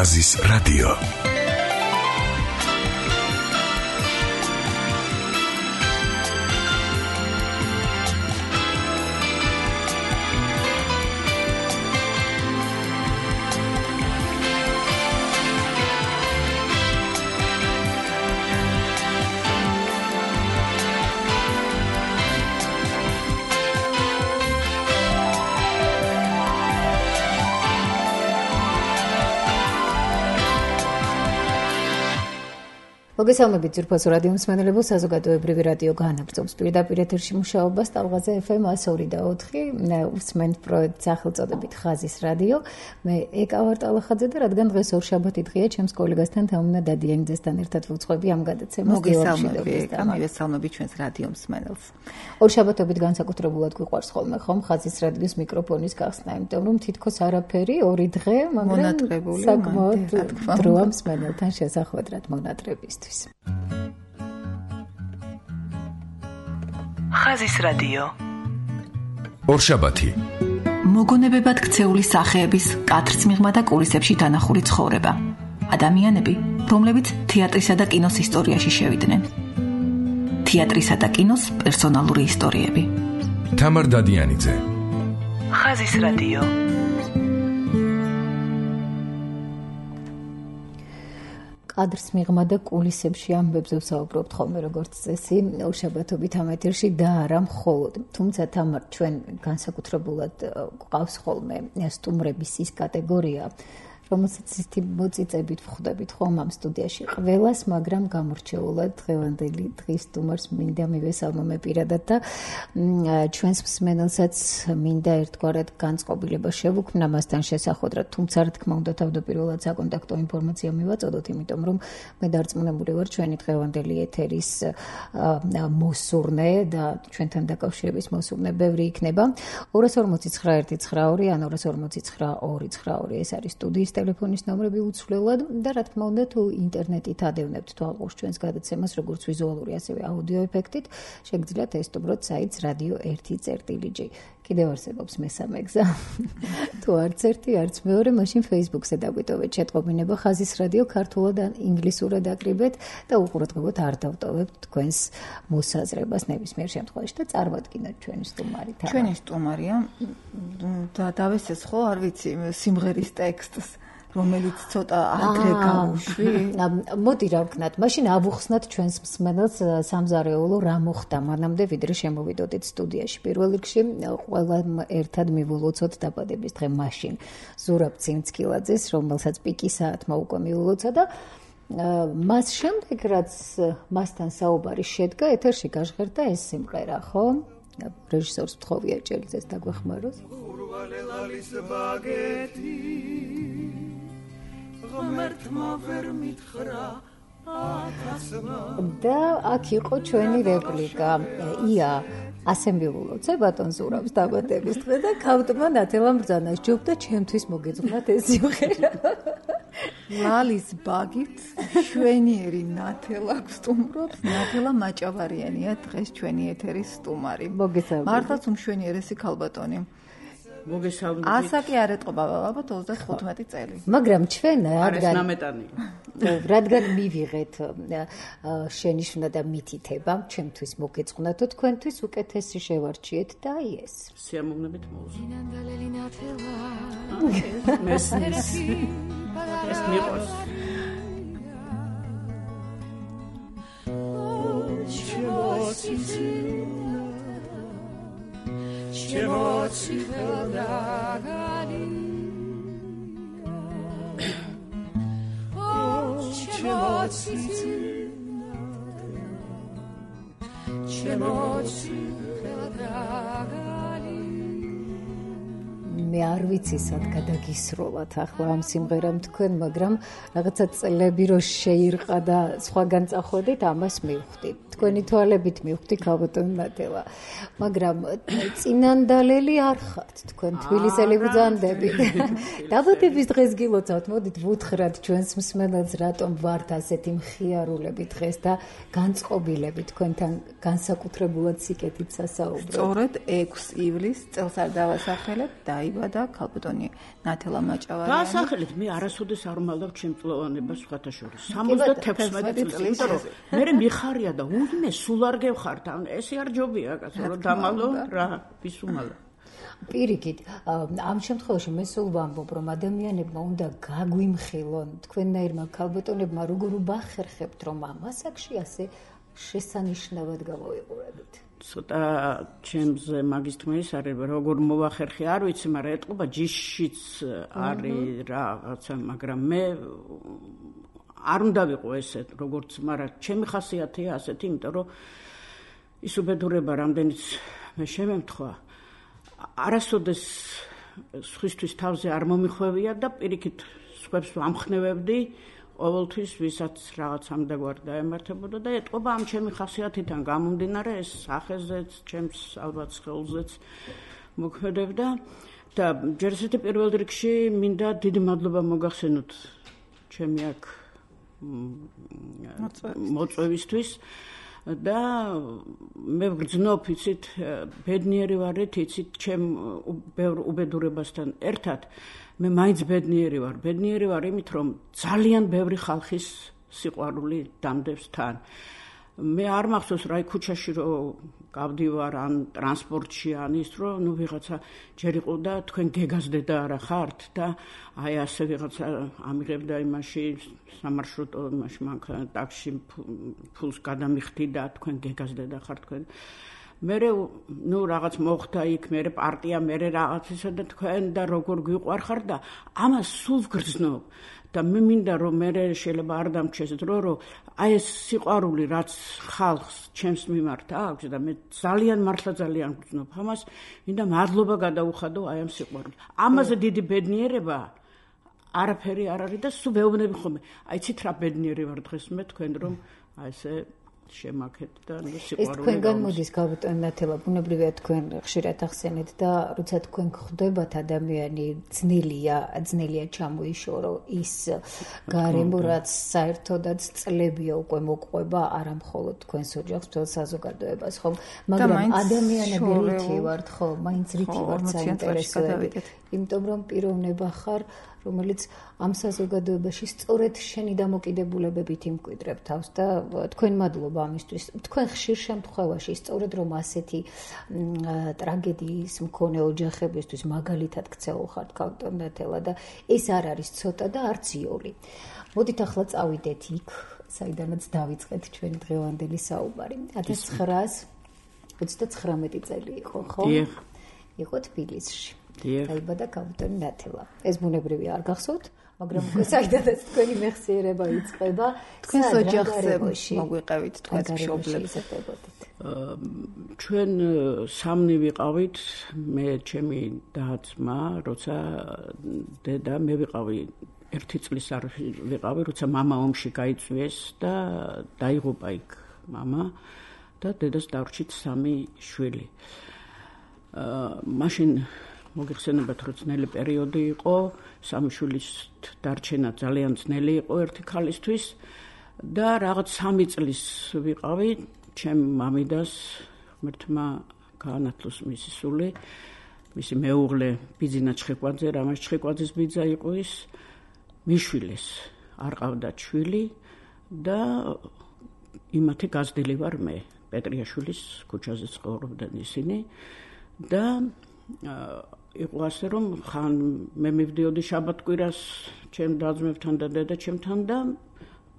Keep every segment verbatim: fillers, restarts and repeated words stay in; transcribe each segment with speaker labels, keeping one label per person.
Speaker 1: ხაზის რადიო.
Speaker 2: მოგესალმებით ძვირფასო რადიო მსმენელებო, საზოგადოებრივი რადიო განაგრძობს პირდაპირ ეთერში მუშაობას ტალღაზე ეფ ემ one oh two four. უსმენთ პროექტს სახელწოდებით ხაზის რადიო. მე ეკა ვარ ტალახაძე და რადგან დღეს ორშაბათი დღეა, ჩემს კოლეგასთან თამუნა დადიანიძესთან ერთად ვუძღვები ამ გადაცემას.
Speaker 3: მოგესალმებით, მოგესალმებით ჩვენს რადიო მსმენელს.
Speaker 2: ორშაბათობით განსაკუთრებულად გვიყვარს ხოლმე ხომ ხაზის რადიოს მიკროფონის გახსნა, იმიტომ რომ თითქოს არაფერი ორი დღე, მაგრამ საკმაოდ დროა მსმენელთან შესახვედრად მონატრებისთვის.
Speaker 1: ხაზის რადიო. ორშაბათი.
Speaker 3: მოგონებებად ქცეული სახეების კათრცმიღმა და კულისებში დანახული ცხოვრება. ადამიანები, რომლებიც თეატრისა და კინოს ისტორიაში შევიდნენ. თეატრისა და კინოს პერსონალური ისტორიები.
Speaker 1: თამარ დადიანიძე. ხაზის რადიო.
Speaker 2: კადრს მიღმა და კულისებში ამბებზე ვსაუბრობთ ხოლმე როგორც წესი ორშაბათობით ამ ეთერში და არა მხოლოდ. თუმცა თამარ ჩვენ განსაკუთრებულად გვყავს ხოლმე სტუმრების ის კატეგორია, რომელსაც ისეთი მოწიწებით ვხვდებით ხომ ამ სტუდიაში ყველას, მაგრამ გამორჩეულად დღევანდელი დღის სტუმარს მინდა მივესალმო პირადად და ჩვენს მსმენელსაც მინდა ერთგვარად განწყობილება შევუქმნა მასთან შესახვედრად, თუმცა რა თქმა უნდა თავდაპირველად საკონტაქტო ინფორმაცია მივაწოდოთ, იმიტომ რომ მე დარწმუნებული ვარ ჩვენი დღევანდელი ეთერის მოსურნე და ჩვენთან დაკავშირების მოსურნე ბევრი იქნება. ორი ორმოცი ცხრა ერთი ცხრა ორი ან ორი ორმოცი ცხრა ორი ცხრა ორი ეს არის სტუდიის ტელეფონის ნომრები უცვლელად და რა თქმა უნდა თუ ინტერნეტით ადევნებთ თვალყურს ჩვენს გადაცემას როგორც ვიზუალური ასევე აუდიო ეფექტით, შეგიძლიათ ესტუმროთ საიტს რადიო ერთი წერტილი ჯი. კიდევ არსებობს მესამე გზა. თუ არც ერთი, არც მეორე, მაშინ Facebook-ზე დაგვიტოვეთ შეტყობინება ხაზის რადიო ქართულად ან ინგლისურად აკრიბეთ და უყურადღებოდ არ დავტოვებთ თქვენს მოსაზრებას ნებისმიერ შემთხვევაში და წარმოვადგინოთ ჩვენი სტუმარი.
Speaker 3: ჩვენი სტუმარია და დავესწრეთ ხო, არ ვიცი, სიმღერის ტექსტს, რომელიც ცოტა ადრე გავუშვი.
Speaker 2: მოდი რა ვქნათ, მაშინ ავუხსნათ ჩვენს მსმენელს სამზარეულო რა მოხდა მანამდე ვიდრე შემოვიდოდით სტუდიაში. პირველ რიგში ყველა ერთად მივულოცოთ დაბადების დღე მაშინ ზურაბ ციმცკილაძეს, რომელსაც პიკი საათმა უკვე მივულოცა და მას შემდეგ რაც მასთან საუბარი შედგა, ეთერში გაჟღერდა ეს სიმღერა, ხო? რეჟისორს ვთხოვია ჭელიძეს დაგვეხმაროს.
Speaker 4: ურვალელალის ბაგეთი ღმერთმა ვერ მითხრა აკაცმა
Speaker 2: და აქ იყო ჩვენი რეპლიკა. ია ასე მივულოცე ბატონ ზურაბს დაბადების დღე და ქავტმა ნათელამ ბრძანას ჯობდა ჩემთვის მოგეძღვნათ ეს სიმღერა.
Speaker 3: ლალის ბაგით შვენიერი ნათელა გსტუმრობს. ნათელა მაჭავარიანია დღეს ჩვენი ეთერის სტუმარი.
Speaker 2: მოგესალმებით.
Speaker 3: მართლაც უმშვენიერესი ქალბატონი.
Speaker 5: მოგესალმებით.
Speaker 3: ასაკი არ ეტყობა ალბათ ოცდახუთმეტი წელი.
Speaker 2: მაგრამ ჩვენ რადგან
Speaker 5: ნამეტანი.
Speaker 2: რადგან მივიღეთ შენიშვნა და მითითება, ჩემთვის მოგეძღვნათო, თქვენთვის უკეთესი შევარჩიეთ და აი ეს.
Speaker 5: სიამოვნებით მოუზ. მესმის. ეს მიყვარს.
Speaker 4: Emocji wydagali emocji emocji wydagali
Speaker 2: მე არ ვიცი სად გადაგისროლათ ახლა ამ სიმღერამ თქვენ, მაგრამ რაღაცა წლები რო შეირყა და სხვაგან წახვედით, ამას მივხვდით. თქვენი თვალებით მივხვდი ქალბატონ ნათელა. მაგრამ წინანდალელი არ ხართ, თქვენ თბილისელი ბრძანდებით. დაბადების დღეს გილოცავთ, მოდით ვუთხრათ ჩვენს მსმენელს, რატომ ვართ ასეთი მხიარულები დღეს და განწყობილები თქვენთან განსაკუთრებულად სიკეთით სასაუბრო.
Speaker 3: სწორედ ექვსი ივლისს წელს არ დავასახელებ, დაიბადა ნათელა და ქალბატონი ნათელა მაჭავარიანი.
Speaker 5: დაასახელეთ, მე არასოდეს არ ვმალავ ჩემწლოვანებას სხვათა შორის. სამოცდათექვსმეტი წლის, იმიტომ რომ მე მიხარია და უდმე სულ არ გევხართ. ესე არ ჯობია, კაცო, რომ დამალო რა, ვის უმალავ.
Speaker 2: პირიქით, ამ შემთხვევაში მე სულ ვამბობ, რომ ადამიანებმა უნდა გაგვიმხილონ, თქვენნაირმა ქალბატონებმა როგორ ubahერხებთ, რომ ამ ასაკში ასე შესანიშნავად გავაიყურებით.
Speaker 5: ცოტა ჩემზე მაგის თქმა ის არის, როგორ მოვახერხე არ ვიცი, მაგრამ ეტყობა ჯიშიც არის რაღაცა, მაგრამ მე არ უნდა ვიყო ესე, როგორც, მაგრამ ჩემი ხასიათია ასეთი, იმიტომ რომ ის უბედურება რამდენიც მე შემემთხვა არასოდეს სხვისთვის თავზე არ მომიხვევია და პირიქით სხვებს ვამხნევებდი ყოველთვის ვისაც რაღაც ამდაგვარ დაემართებოდა და ეტყობა ამ ჩემი ხასიათიდან გამომდინარე ეს სახეზეც, ჩემს ალბათ სხეულზეც მოქმედებდა და ჯერ ესეთი პირველ რიგში მინდა დიდი მადლობა მოგახსენოთ ჩემი აქ მოწვევისთვის და მე ვგრძნობ, იცით, ბედნიერი ვარით, იცით, ჩემ ბევრ უბედურებასთან ერთად მე მაინც ბედნიერი ვარ. ბედნიერი ვარ იმით, რომ ძალიან ბევრი ხალხის სიყვარული დამდევს თან. მე არ მახსოვს რა ქუჩაში რომ გავდივარ ან ტრანსპორტში ან ის რომ ნუ ვიღაცა ჯერ იყო და თქვენ გეგაზდედა არა ხართ და აი ასე ვიღაცა ამიღებდა იმაში სამარშრუტო იმაში მანქანა ტაქსში ფულს გადამიხდი და თქვენ გეგაზდედა ხართ თქვენ მე ნუ რაღაც მოხდა იქ მე პარტია მე რაღაც ისე და თქვენ და როგორ გვიყვარ ხარ და ამას სულ ვგრძნობ და მე მინდა რომ მე შეიძლება არ დამჩეს დრო რომ აი ეს სიყვარული რაც ხალხს ჩემს მიმართ აქვს და მე ძალიან მართლა ძალიან ვგრძნობ ამას მინდა მადლობა გადაუხადო აი ამ სიყვარულს ამაზე დიდი ბედნიერება არაფერი არ არის და სულ ვეუბნები ხოლმე აი ცით რა ბედნიერი ვარ დღეს მე თქვენ რომ აი ესე შემაქეთ და ნუ სიყვარული
Speaker 2: ეს თქვენგან მოდის ქალბატონ ნათელა ბუნებრივია თქვენ ხშირად ახსენეთ და როცა თქვენ გხვდებათ ადამიანი ძნელია ძნელია ჩამოიშორო ის გარემო რაც საერთოდაც წლებია უკვე მოყვება არა მხოლოდ თქვენს ოჯახს მთელ საზოგადოებას ხო მაგრამ ადამიანები რითი ვართ ხო მაინც რითი ვართ საინტერესოები იმიტომ რომ პიროვნება ხარ რომელიც ამ საზოგადოებაში სწორედ შენი დამოკიდებულებებით იმკვიდრებ თავს და თქვენ მადლობა ამისთვის. თქვენ ხშირ შემთხვევაში სწორედ რომ ასეთი ტრაგედიის მქონე ოჯახებისთვის მაგალითად ქცეულ ხართ ქალბატონ ნათელა და ეს არ არის ცოტა და არც იოლი. მოდით ახლა წავიდეთ იქ, საიდანაც დავიწყეთ ჩვენი დღევანდელი საუბარი. ათას ცხრაას ოცდაცხრამეტი წელი იყო, ხო?
Speaker 5: დიახ.
Speaker 2: იყო თბილისში.
Speaker 5: დაიბადა
Speaker 2: ქალბატონ ნათელა. ეს ბუნებრივია არ გახსოვთ, მაგრამ უკვე საიდანაც თქვენი მეხსიერება იწყება,
Speaker 3: თქვენს ოჯახზე მოგვიყევით თქვენს მშობლებს.
Speaker 5: ჩვენ სამნი ვიყავით, მე ჩემი და-ძმა, როცა დედა მე ვიყავი ერთი წლის არ ვიყავი, როცა მამა ომში გაიწვიეს და დაიღუპა იქ მამა და დედას დარჩით სამი შვილი. მაშინ მოგიხსენებათ რომ ძნელი პერიოდი იყო, სამი შვილის დარჩენა ძალიან ძნელი იყო ერთი ქალისთვის და რაღაც სამი წლის ვიყავი, ჩემ მამიდას ღმერთმა გაანათლოს მისი სული, მისი მეუღლე ბიძინა ჩხიკვაძე, რამას ჩხიკვაძის ბიძა იყო ის, მიშვილეს, არ ყავდათ შვილი და იმათი გაზრდილი ვარ მე, პეტრიაშვილის ქუჩაზე ცხოვრობდნენ ისინი და იყო ასე რომ ხან მე მივდიოდი შაბათ-კვირას ჩემ და-ძმებთან და დედა-ჩემთან და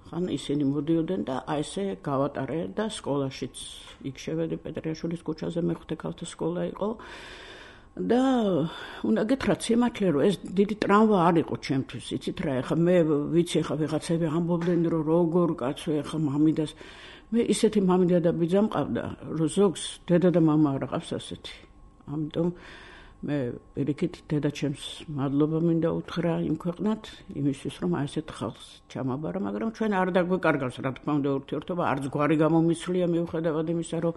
Speaker 5: ხან ისინი მოდიოდნენ და აი ესე გავატარე და სკოლაშიც იქ შევედი პეტრიაშვილის ქუჩაზე მეხუთე ქალთა სკოლა იყო და უნდა გითხრათ სიმართლე რომ ეს დიდი ტრავმა არ იყო ჩემთვის იცით რა ეხა მე ვიცი ეხა ვიღაცები ამბობდნენ რომ როგორ კაცო ეხა მამიდას მე ისეთი მამიდა და ბიძა მყავდა რომ ზოგს დედა და მამა არ ყავს ასეთი ამიტომ მე პირიქით დედაჩემს მადლობა მინდა უთხრა იმ ქვეყნად იმისთვის რომ აი ესეთ ხალხს ჩამაბარა მაგრამ ჩვენ არ დაგვეკარგავს რა თქმა უნდა ურთიერთობა არც გვარი გამომიცვლია მიუხედავად იმისა რომ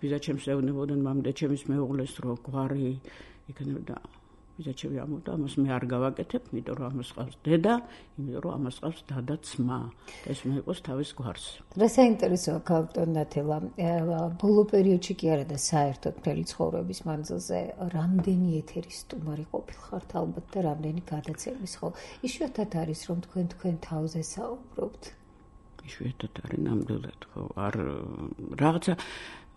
Speaker 5: ბიძაჩემს ეუბნებოდნენ მამიდაჩემის მეუღლეს რომ გვარი იქნებოდა ბიძაჩები ამბობდა, ამას მე არ გავაკეთებ, იმიტომ რომ ამას ყავს დედა, იმიტომ რომ ამას ყავს და და ძმა. ეს მე იყოს თავის გვარს.
Speaker 2: რა საინტერესოა კაპიტან ნათელა, ბოლო პერიოდში კი არა და საერთოდ მთელი ცხოვრების მანძილზე რამდენი ეთერის სტუმარი ყოფილხართ ალბათ და რამდენი გადაცემის, ხო? იშვიათად არის რომ თქვენ თქვენ თავზე საუბრობთ.
Speaker 5: იშვიათად არის ნამდვილად, ხო? არ რაღაცა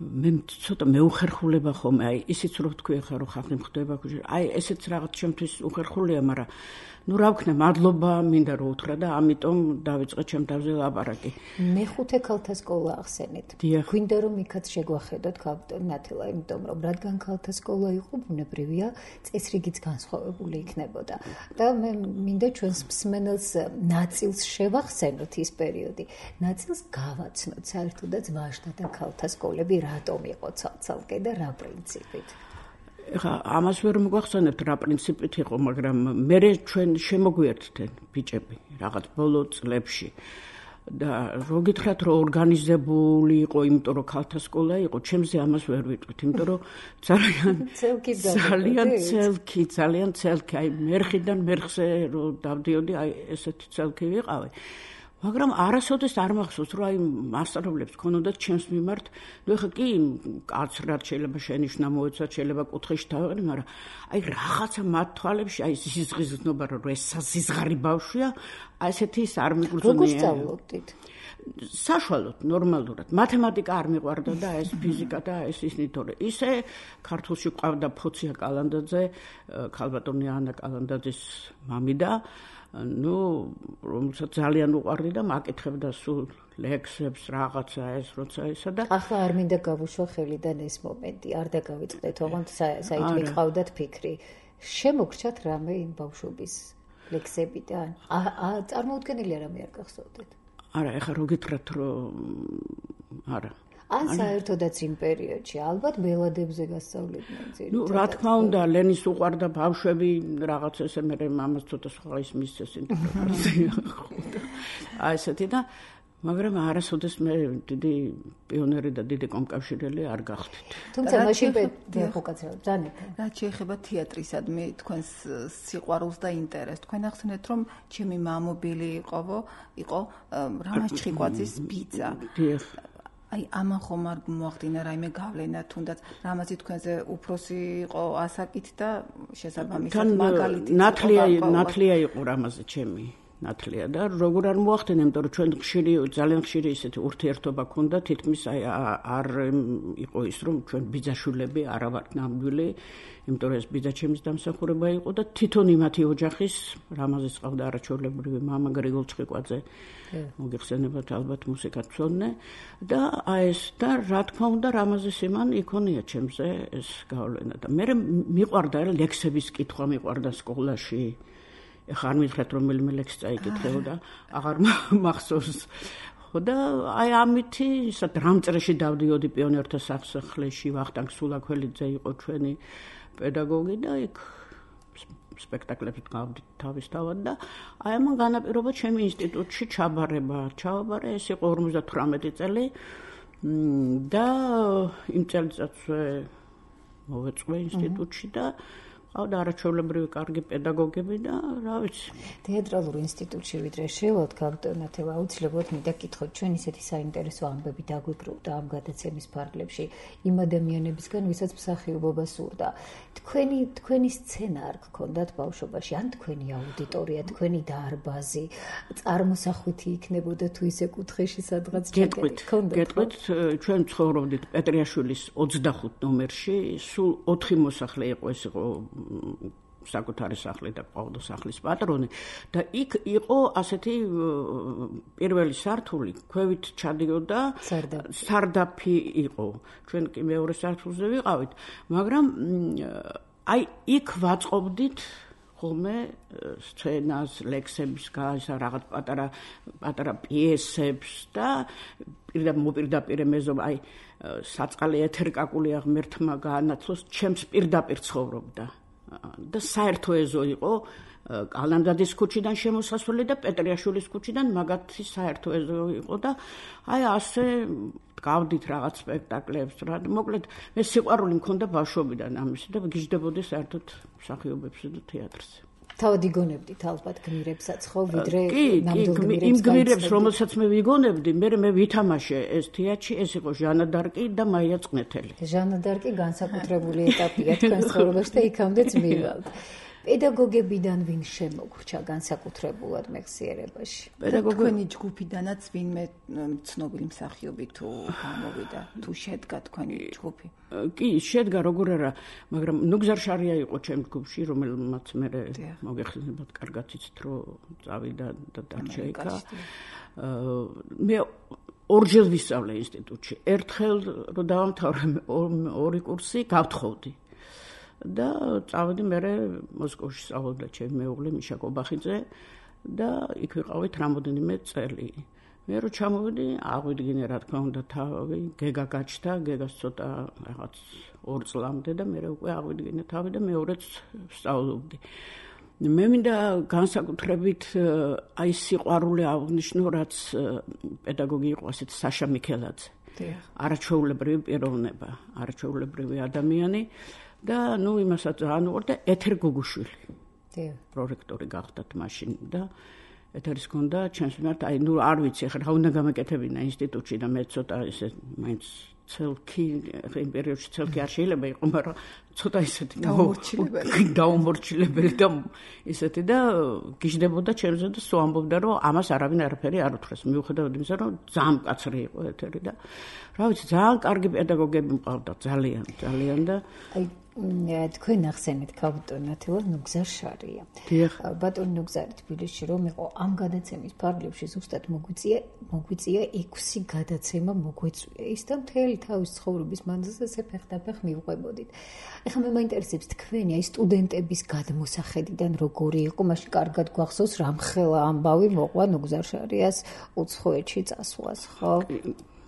Speaker 5: მე ცოტა მეუხერხულება ხომ, აი ისიც რო თქვი ხა რომ ხალხი მხდება, აი ესეც რაღაც ჩემთვის უხერხულია, მაგრამ ნუ რა ვქნა, მადლობა მინდა რომ უთხრა და ამიტომ დავიწყე ჩემ თავზე ლაპარაკი.
Speaker 2: მეხუთე ქალთა სკოლა ახსენეთ. გვინდა რომ იქაც შეგვახედოთ კაპიტან ნათელა, იმიტომ რომ რადგან ქალთა სკოლა იყო, ბუნებრივია, წესრიგიც განსხვავებული იქნებოდა. და მე მინდა ჩვენს მსმენელს ნაწილს შევახსენოთ ის პერიოდი, ნაწილს გავაცნოთ საერთოდაც ვაჟთა და ქალთა სკოლები რატომ იყო ცალ-ცალკე და რა პრინციპით.
Speaker 5: ეხა ამას ვერ მოგვახსენებთ რა პრინციპით იყო, მაგრამ მე ჩვენ შემოგვიერთდნენ ბიჭები რაღაც ბოლო წლებში და რო გითხრათ რომ ორგანიზებული იყო, იმიტომ რომ ქალთა სკოლა იყო, ჩემზე ამას ვერ ვიტყვით, იმიტომ რომ ძალიან ძალიან ცელკი, ძალიან ცელკი, აი მერხიდან მერხზე რო დავდიოდი, აი ესეთი ცელკი ვიყავი. მაგრამ არასოდეს არ მახსოვს რომ აი მასწავლებლებს ქონოდათ ჩემს მიმართ, ნუ ეხა კი კაცრად შეიძლება შენიშნა მოეცათ, შეიძლება კუთხეში დავეყნე, მაგრამ აი რაღაცა მათ თვალებში აი ზიზღიზნობა რომ ეს საზიზღარი ბავშვია, აი ესეთი ის არ მიგრძნია.
Speaker 2: როგორ სწავლობდით?
Speaker 5: საშუალოდ, ნორმალურად. მათემატიკა არ მიყვარდა და ეს ფიზიკა და ეს ისინი თორე ისე ქართულში ყავდა ფოცია კალანდაძე, ქალბატონი ანა კალანდაძის მამიდა, ну, რომელსაც ძალიან უყვარდი და მაკითხებდა სულ ლექსებს, რაღაცა ეს, როცა ისა და
Speaker 2: ახლა არ მინდა გავუშვა ხელიდან ეს მომენტი, არ დაგავიწყდეთ, ოღონდ საით მიყავდათ ფიქრი. შემოგრჩათ რამე იმ ბავშვობის ლექსებიდან? აა წარმოუდგენელი რამე არ გახსოვდეთ?
Speaker 5: არა, ეხლა რო გითხრათ, რომ არა.
Speaker 2: ან საერთოდაც იმ პერიოდში ალბათ ბელადებზე გასწავლიდნენ ძირითადად.
Speaker 5: ნუ რა თქმა უნდა, ლენის უყვარდა ბავშვები, რაღაც ესე მე მამას ცოტა სხვა ის მისცეს ინტერპრეტაცია. აი ესეთი და მაგრამ არასოდეს მე დიდი პიონერი და დიდი კომკავშირელი არ გახდით.
Speaker 2: თუმცა მაშინ ვეღუკაცრავ ძანეთ.
Speaker 3: რაც შეეხება თეატრისადმი თქვენს სიყვარულს და ინტერესს. თქვენ ახსენეთ რომ ჩემი მამობილი იყავო, იყო რამაზ ჩხიკვაძის ბიძა.
Speaker 5: დიახ.
Speaker 3: აი ამან ხომ არ მოახდინა რაიმე გავლენა, თუნდაც რამაზი თქვენზე უფროსი იყო ასაკით და შესაბამისად მაგალითი
Speaker 5: ნათლია ნათლია იყო რამაზი ჩემი. ნათლია და როგორ არ მოახდინა, იმიტომ რომ ჩვენ ხშირი ძალიან ხშირი ისეთი ურთიერთობა ქონდა, თითქმის აი არ იყო ის რომ ჩვენ ბიძაშვილები არა ვართ ნამდვილი, იმიტომ რომ ეს ბიძაჩემის დამსახურება იყო და თვითონ იმათი ოჯახის რამაზის ყავდა არაჩვეულებრივი მამა გრიგოლ ჩხიკვაძე. მოგიხსენებათ ალბათ მუსიკათმცოდნე და აი ეს და რა თქმა უნდა რამაზის იმან იქონია ჩემზე ეს გავლენა და მე მიყვარდა ლექსების კითხვა, მიყვარდა სკოლაში. ეხლა არ მითხრათ რომელიმე ლექსი წაიკითხეო და აღარ მახსოვს. ხო და აი ამითი ისა დრამწრეში დავდიოდი პიონერთა სასახლეში, ვახტანგ სულაქველიძე იყო ჩვენი პედაგოგი და იქ სპექტაკლებს გავდით თავისთავად და აი ამან განაპირობა ჩემი ინსტიტუტში ჩაბარება. ჩავაბარე, ეს იყო ორმოცდათვრამეტი წელი და იმ წელიწადზე მოვეწვე ინსტიტუტში და ყავდა არაჩვეულებრივი კარგი პედაგოგები და რა ვიცი.
Speaker 2: თეატრალურ ინსტიტუტში ვიდრე შევალთ კაპიტან ნათელა, აუცილებლად მინდა გითხოთ, ჩვენ ისეთი საინტერესო ამბები დაგვიკრუდა ამ გადაცემის ფარგლებში იმ ადამიანებისგან, ვისაც მსახიობობა სურდა. თქვენი თქვენი სცენა არ გქონდათ ბავშვობაში, ან თქვენი აუდიტორია, თქვენი დარბაზი, წარმოსახვითი იქნებოდა თუ ისე კუთხეში სადღაც
Speaker 5: გეტყვით, გეტყვით, ჩვენ ცხოვრობდით პეტრიაშვილის ოცდახუთ ნომერში, სულ ოთხი მოსახლე იყო, ეს იყო საკუთარი სახლი და ყავდა სახლის პატრონი და იქ იყო ასეთი პირველი სართული, ქვევით ჩადიოდა სარდაფი იყო. ჩვენ კი მეორე სართულზე ვიყავით, მაგრამ აი იქ ვაწყობდით ხოლმე სცენას, ლექსების გასა, რაღაც პატარა პატარა პიესებს და პირდაპირ მეზობ აი საწყალი ეთერკაკული აღმერთმა გაანაცვლოს, ჩემს პირდაპირ ცხოვრობდა. და საერთო ეზო იყო კალანდაძის ქუჩიდან შემოსასვლელი და პეტრიაშვილის ქუჩიდან მაგათი საერთო ეზო იყო და აი ასე გავდით რაღაც სპექტაკლებს რა. მოკლედ მე სიყვარული მქონდა ბავშვობიდან ამის და გიждდებოდი საერთოდ მსახიობებზე და თეატრზე.
Speaker 2: თავად იგონებდით ალბათ გმირებსაც ხო ვიდრე
Speaker 5: ნამდვილ გმირებს. იმ გმირებს რომელსაც მე ვიგონებდი, მე მე ვითამაშე ეს თეატრში, ეს იყო ჟანა დარკი და მაია წნეთელი.
Speaker 2: ჟანა დარკი განსაკუთრებული ეტაპია თქვენს ცხოვრებაში და იქამდეც მივალთ. პედაგოგებიდან ვინ შემოგვრჩა განსაკუთრებულად მეხსიერებაში?
Speaker 3: პედაგოგები ჯგუფიდანაც ვინმე ცნობილი მსახიობი თუ გამოვიდა, თუ შედგა თქვენი ჯგუფი?
Speaker 5: კი, შედგა როგორ არა, მაგრამ ნუგზარ შარია იყო ჩემ ჯგუფში, რომელმაც მე მოგეხსენებათ, კარგად იცით, რომ წავიდა და დარჩა იქა. მე ორჯერ ვისწავლე ინსტიტუტში. ერთხელ რომ დავამთავრე ორი კურსი, გავთხოვდი. და წავედი მე მოსკოვში სწავლობდა ჩემი მეუღლე მიშა კობახიძე და იქ ვიყავით რამოდენიმე წელი. მე რო ჩამოვედი, აღვიდგინე რა თქმა უნდა თავი, გეგა გაჩნდა, გეგას ცოტა რაღაც ორ წლამდე და მე უკვე აღვიდგინე თავი და მეორეც სწავლობდი. მე მინდა განსაკუთრებით აი სიყვარული აღნიშნო, რაც პედაგოგი იყო ასეთ საშა მიქელაძე. არაჩვეულებრივი პიროვნება, არაჩვეულებრივი ადამიანი. და ნუ იმასაც ძალიან უყვარდა და ეთერ გუგუშვილი. დიახ. პრორექტორი გახდათ მაშინ და ეთერის ჰქონდა ჩემს მიმართ, აი ნუ არ ვიცი, ახლა რა უნდა გამეკეთებინა ინსტიტუტში და მე ცოტა ესე მაინც ცელკი, იმ პერიოდში ცელკი არ შეიძლება იყო, მაგრამ ცოტა ისეთი
Speaker 3: დაუმორჩილებელი.
Speaker 5: დაუმორჩილებელი და ისეთი და გიждდებოდა ჩემზე და სულ ამბობდა, რომ ამას არავინ არაფერი არ უთხრეს. მიუხედავად იმისა, რომ ძალიან მკაცრი იყო ეთერი და რა ვიცი, ძალიან კარგი პედაგოგები მყავდა, ძალიან, ძალიან და
Speaker 2: აი თქვენ ახსენეთ კაპიტან ათელა ნუგზარ შარია. ბატონ ნუგზარი თბილისში რომ იყო ამ გადაცემის ფარგლებში ზუსტად მოგვიწია, მოგვიწია ექვსი გადაცემა მოგვეწვია. ის და მთელი თავის ცხოვრების მანძილზე ესე ფეხდაფეხ მივყვებოდით. ეხლა მე მაინტერესებს თქვენი აი სტუდენტების გადმოსახედიდან როგორი იყო, მაშინ კარგად გვახსოვს რამხელა ამბავი მოყვა ნუგზარ შარიას უცხოეთში წასვლას, ხო?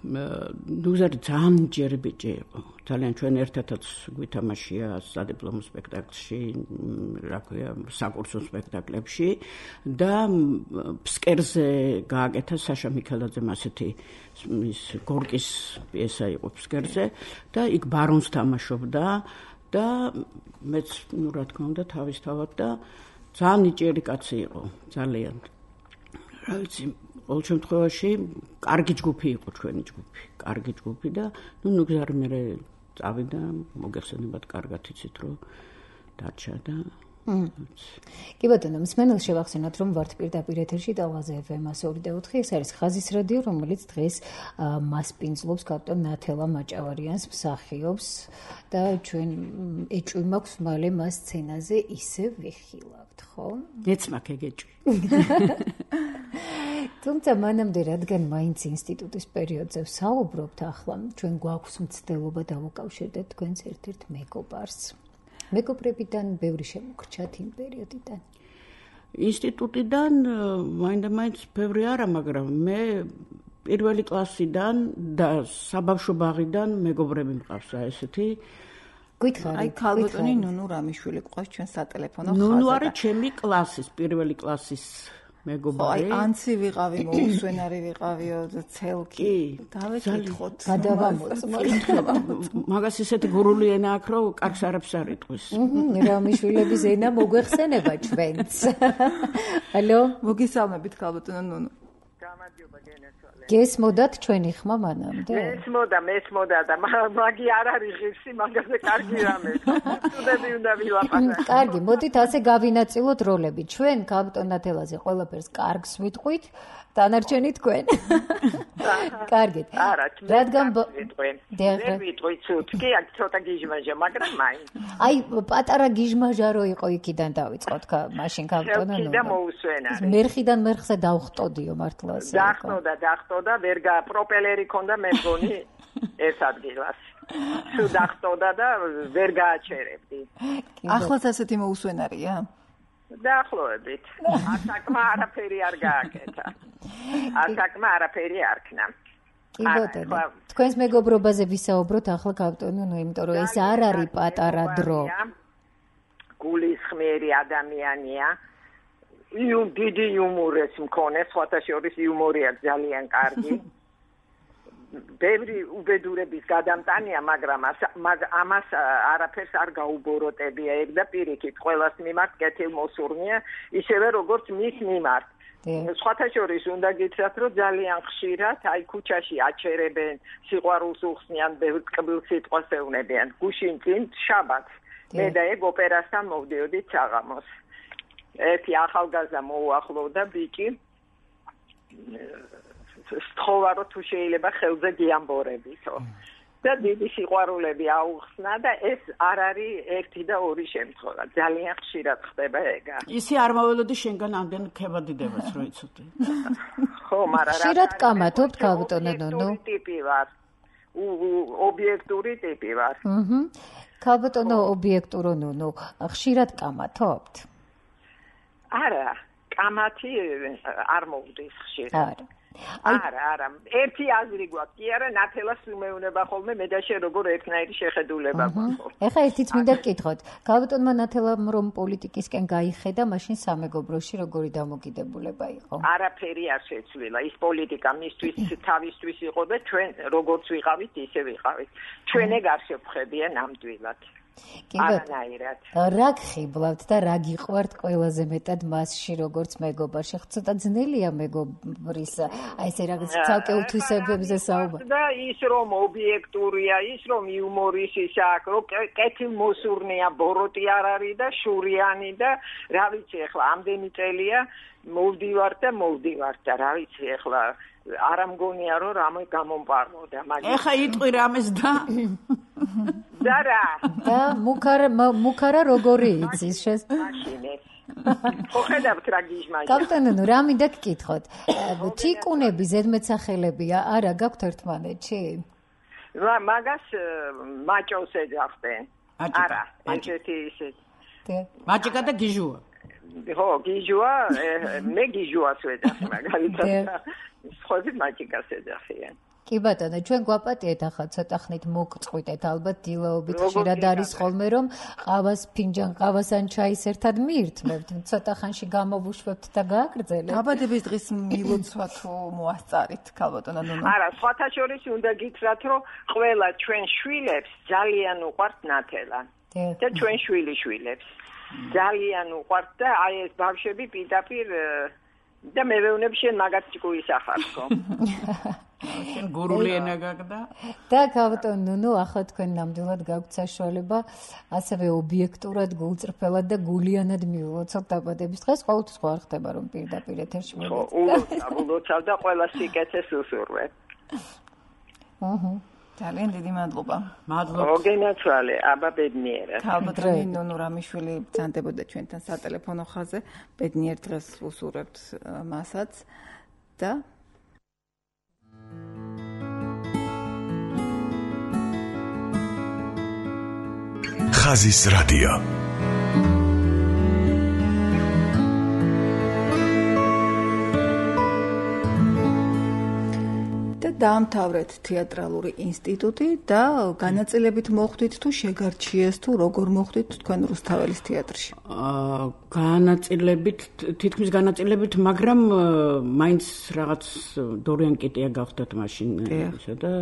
Speaker 5: ნუგზარი ძალიან ჯერი ბიჭი იყო. ძალიან ჩვენ ერთადაც გვითამაშია სადიპლომო სპექტაკლში, რა ქვია, საკურსო სპექტაკლებში და ფსკერზე გააკეთა საშა მიქელაძემ ასეთი ის გორკის პიესა იყო ფსკერზე და იქ ბარონს თამაშობდა და მეც ნუ რა თქმა უნდა თავისთავად და ძალიან ნიჭიერი კაცი იყო, ძალიან. რა ვიცი, ყოველ შემთხვევაში კარგი ჯგუფი იყო ჩვენი ჯგუფი, კარგი ჯგუფი და ნუ ნუგზარი მე წავიდა, მოგეხსენებათ, კარგად იცით, რომ დარჩა და
Speaker 2: კი ბატონო, მსმენელს შევახსენოთ, რომ ვართ პირდაპირ ეთერში და ლაზე ეფ ემ ორი და ოთხი, ეს არის ხაზის რადიო, რომელიც დღეს მასპინძლობს კაპიტან ნათელა მაჭავარიანს, მსახიობს და ჩვენ ეჭვი მაქვს მალე მას სცენაზე ისე ვიხილავთ, ხო?
Speaker 5: მეც მაქვს ეგ ეჭვი.
Speaker 2: თუმცა მანამდე, რადგან მაინც ინსტიტუტის პერიოდზე ვსაუბრობთ, ახლა ჩვენ გვაქვს მცდელობა დავუკავშირდეთ თქვენს ერთ-ერთ მეგობარს. მეგობრებიდან ბევრი შემოგრჩათ იმ პერიოდიდან.
Speaker 5: ინსტიტუტიდან მაინდა-მაინც ბევრი არა, მაგრამ მე პირველი კლასიდან და საბავშვო ბაღიდან მეგობრები მყავს რა ესეთი.
Speaker 2: გითხარით,
Speaker 3: აი ქალბატონი ნუნუ რამიშვილი ყავს ჩვენ სატელეფონო ხაზზე.
Speaker 5: ნუნუ არის ჩემი კლასის, პირველი კლასის მეგობარი.
Speaker 3: აი ანცი ვიყავი, მოუსვენარი ვიყავიო, ცელკი. დავეკითხოთ.
Speaker 2: გადავამოწმოთ.
Speaker 5: მაგას ისეთი გურული ენა აქვს, რომ კარგს არაფერს არ იტყვის.
Speaker 2: რამიშვილების ენა მოგვეხსენება ჩვენც. ალო,
Speaker 3: მოგისალმებით ქალბატონო ნუნუ.
Speaker 4: გამარჯობა გენესვალე.
Speaker 2: გესმოდათ ჩვენი ხმა მანამდე?
Speaker 4: მესმოდა, მესმოდა და მაგი არ არის ღირსი, მაგაზე კარგი რამე. სტუდენტები უნდა ვილაპარაკოთ.
Speaker 2: კარგი, მოდით ასე გავინაწილოთ როლები. ჩვენ კაპიტან ნათელაზე ყველაფერს კარგს ვიტყვით, დანარჩენი თქვენ. კარგით.
Speaker 4: არა,
Speaker 2: რადგან
Speaker 4: ვიტყვენ. ვერ ვიტყვით ცუდ, კი, აქ ცოტა გიჟმაჟა, მაგრამ მაინც.
Speaker 2: აი, პატარა გიჟმაჟა რო იყო იქიდან დავიწყოთ, მაშინ კაპიტან ნათელა.
Speaker 4: და მოусვენარი.
Speaker 2: მერხიდან მერხზე დავხტოდიო მართლა ასე.
Speaker 4: დახტოდა, დახტოდა, ვერ გა პროპელერი ქონდა მე მგონი ეს ადგილას. სულ დახტოდა და ვერ გააჩერებდი.
Speaker 3: ახლაც ასეთი მოусვენარია?
Speaker 4: დაახლოებით. ასაკმა არაფერი არ გააკეთა. ასაკმა არაფერი არ ქნა.
Speaker 2: კი ბატონო, თქვენს მეგობრობაზე ვისაუბროთ ახლა კაპიტანო, ნუ იმიტომ რომ ეს არ არის პატარა დრო.
Speaker 4: გულისხმიერი ადამიანია. იუმ დიდი იუმორს მქონე, სხვათა შორის იუმორი აქვს ძალიან კარგი. ბევრი უბედურების გადამტანია, მაგრამ ამას არაფერს არ გაუბოროტებია ეგ და პირიქით ყველას მიმართ კეთილმოსურნია, ისევე როგორც მის მიმართ. სხვათა შორის უნდა გითხრათ, რომ ძალიან ხშირად აი ქუჩაში აჩერებენ, სიყვარულს უხსნიან, ბევრ ტკბილ სიტყვას ეუბნებიან. გუშინ წინ შაბათს მე და ეგ ოპერასთან მოვდიოდით საღამოს. ერთი ახალგაზრდა მოუახლოვდა ბიჭი. სთხოვა რომ თუ შეიძლება ხელზე გიამბორებითო. და დიდი სიყვარულები აუხსნა და ეს არ არის ერთი და ორი შემთხვევა. ძალიან ხშირად ხდება ეგა.
Speaker 5: ისი არ მოველოდი შენგან ამდენ ქებადიდებას რო იცოდი.
Speaker 2: ხო, მაგრამ ხშირად კამათობთ ქალბატონო ნუნუ.
Speaker 4: ტიპი ვარ. ობიექტური ტიპი ვარ.
Speaker 2: აჰა. ქალბატონო ობიექტურო ნუნუ, ხშირად კამათობთ?
Speaker 4: არა, კამათი არ მოვდის ხშირად. არა. არა, არა. ერთი აზრი გვაქვს. კი არა, ნათელას უმეუნება ხოლმე მე და შე როგორ ერთნაირი შეხედულება გვაქვს.
Speaker 2: ეხლა ერთიც მინდა გკითხოთ. ქალბატონმა ნათელამ რომ პოლიტიკისკენ გაიხედა, მაშინ სამეგობროში როგორი დამოკიდებულება იყო?
Speaker 4: არაფერი არ შეცვლილა. ის პოლიტიკა მისთვის თავისთვის იყო და ჩვენ როგორც ვიყავით, ისე ვიყავით. ჩვენ ეგ არ შევხედია ნამდვილად. არანაირად.
Speaker 2: რა გხიბლავთ და რა გიყვართ ყველაზე მეტად მასში როგორც მეგობარში? ცოტა ძნელია მეგობრის აი ესე რაღაც ცალკე უთვისებებზე საუბარი.
Speaker 4: და ის რომ ობიექტურია, ის რომ იუმორის ის აქვს, რომ კეთილმოსურნია, ბოროტი არ არის და შურიანი და რა ვიცი ახლა ამდენი წელია მოვდივარ და მოვდივარ და რა ვიცი ახლა არ ამგონია რომ რამე გამომპარვოდა,
Speaker 5: მაგრამ ეხა იტყვი რამეს და
Speaker 4: და რა
Speaker 2: და მუქარა მუქარა როგორი იცის შეს
Speaker 4: მაშინე ხო ხედავთ რა გიჟმაჟა
Speaker 2: კაპიტანო რა მინდა გკითხოთ თიკუნები ზედმეტსახელებია არა გაქვთ ერთმანეთში
Speaker 4: მაგას მაჭოს ეძახდნენ არა ესეთი ისეთი
Speaker 5: მაჭიკა და გიჟუა
Speaker 4: ხო გიჟუა მე გიჟუას ვეძახი მაგალითად ხოდი მაჭიკას ეძახიან
Speaker 2: კი ბატონო, ჩვენ გვაპატიეთ ახლა ცოტა ხნით მოგწყვიტეთ ალბათ დილაობით ხშირად არის ხოლმე რომ ყავას ფინჯან ყავას ან ჩაის ერთად მიირთმევთ, ცოტა ხანში გამოვუშვებთ და გააგრძელეთ.
Speaker 3: დაბადების დღის მილოცვა თუ მოასწარით, ქალბატონო ნუნუ.
Speaker 4: არა, სხვათა შორის უნდა გითხრათ, რომ ყველა ჩვენ შვილებს ძალიან უყვართ ნათელა. და ჩვენ შვილი შვილებს ძალიან უყვართ და აი ეს ბავშვები პირდაპირ და მე ვეუბნები შენ მაგაც ჭკუის ახარსო.
Speaker 5: შენ გურული ენა გაგდა
Speaker 2: და ქალბატონო ნუნუ ახლა თქვენ ნამდვილად გაქვთ საშუალება ასევე ობიექტურად გულწრფელად და გულიანად მივულოცოთ დაბადების დღეს ყოველთვის ხო არ ხდება რომ პირდაპირ ეთერში
Speaker 4: მოვიდეთ ულოცავ და ყველა სიკეთეს უსურვებ
Speaker 3: აჰა ძალიან დიდი მადლობა
Speaker 5: მადლობა
Speaker 4: მოგენაცვალე აბა ბედნიერად
Speaker 3: ქალბატონი ნუნუ რამიშვილი ბრძანდებოდა ჩვენთან სატელეფონო ხაზზე ბედნიერ დღეს უსურვებთ მასაც და
Speaker 1: ხაზის რადიო
Speaker 3: დაამთავრეთ თეატრალური ინსტიტუტი და განაწილებით მოხვდით თუ შეგარჩიეს თუ როგორ მოხვდით თქვენ რუსთაველის თეატრში?
Speaker 5: აა განაწილებით, თითქმის განაწილებით, მაგრამ მაინც რაღაც დორიან კიტია გავხდათ მაშინ ისა და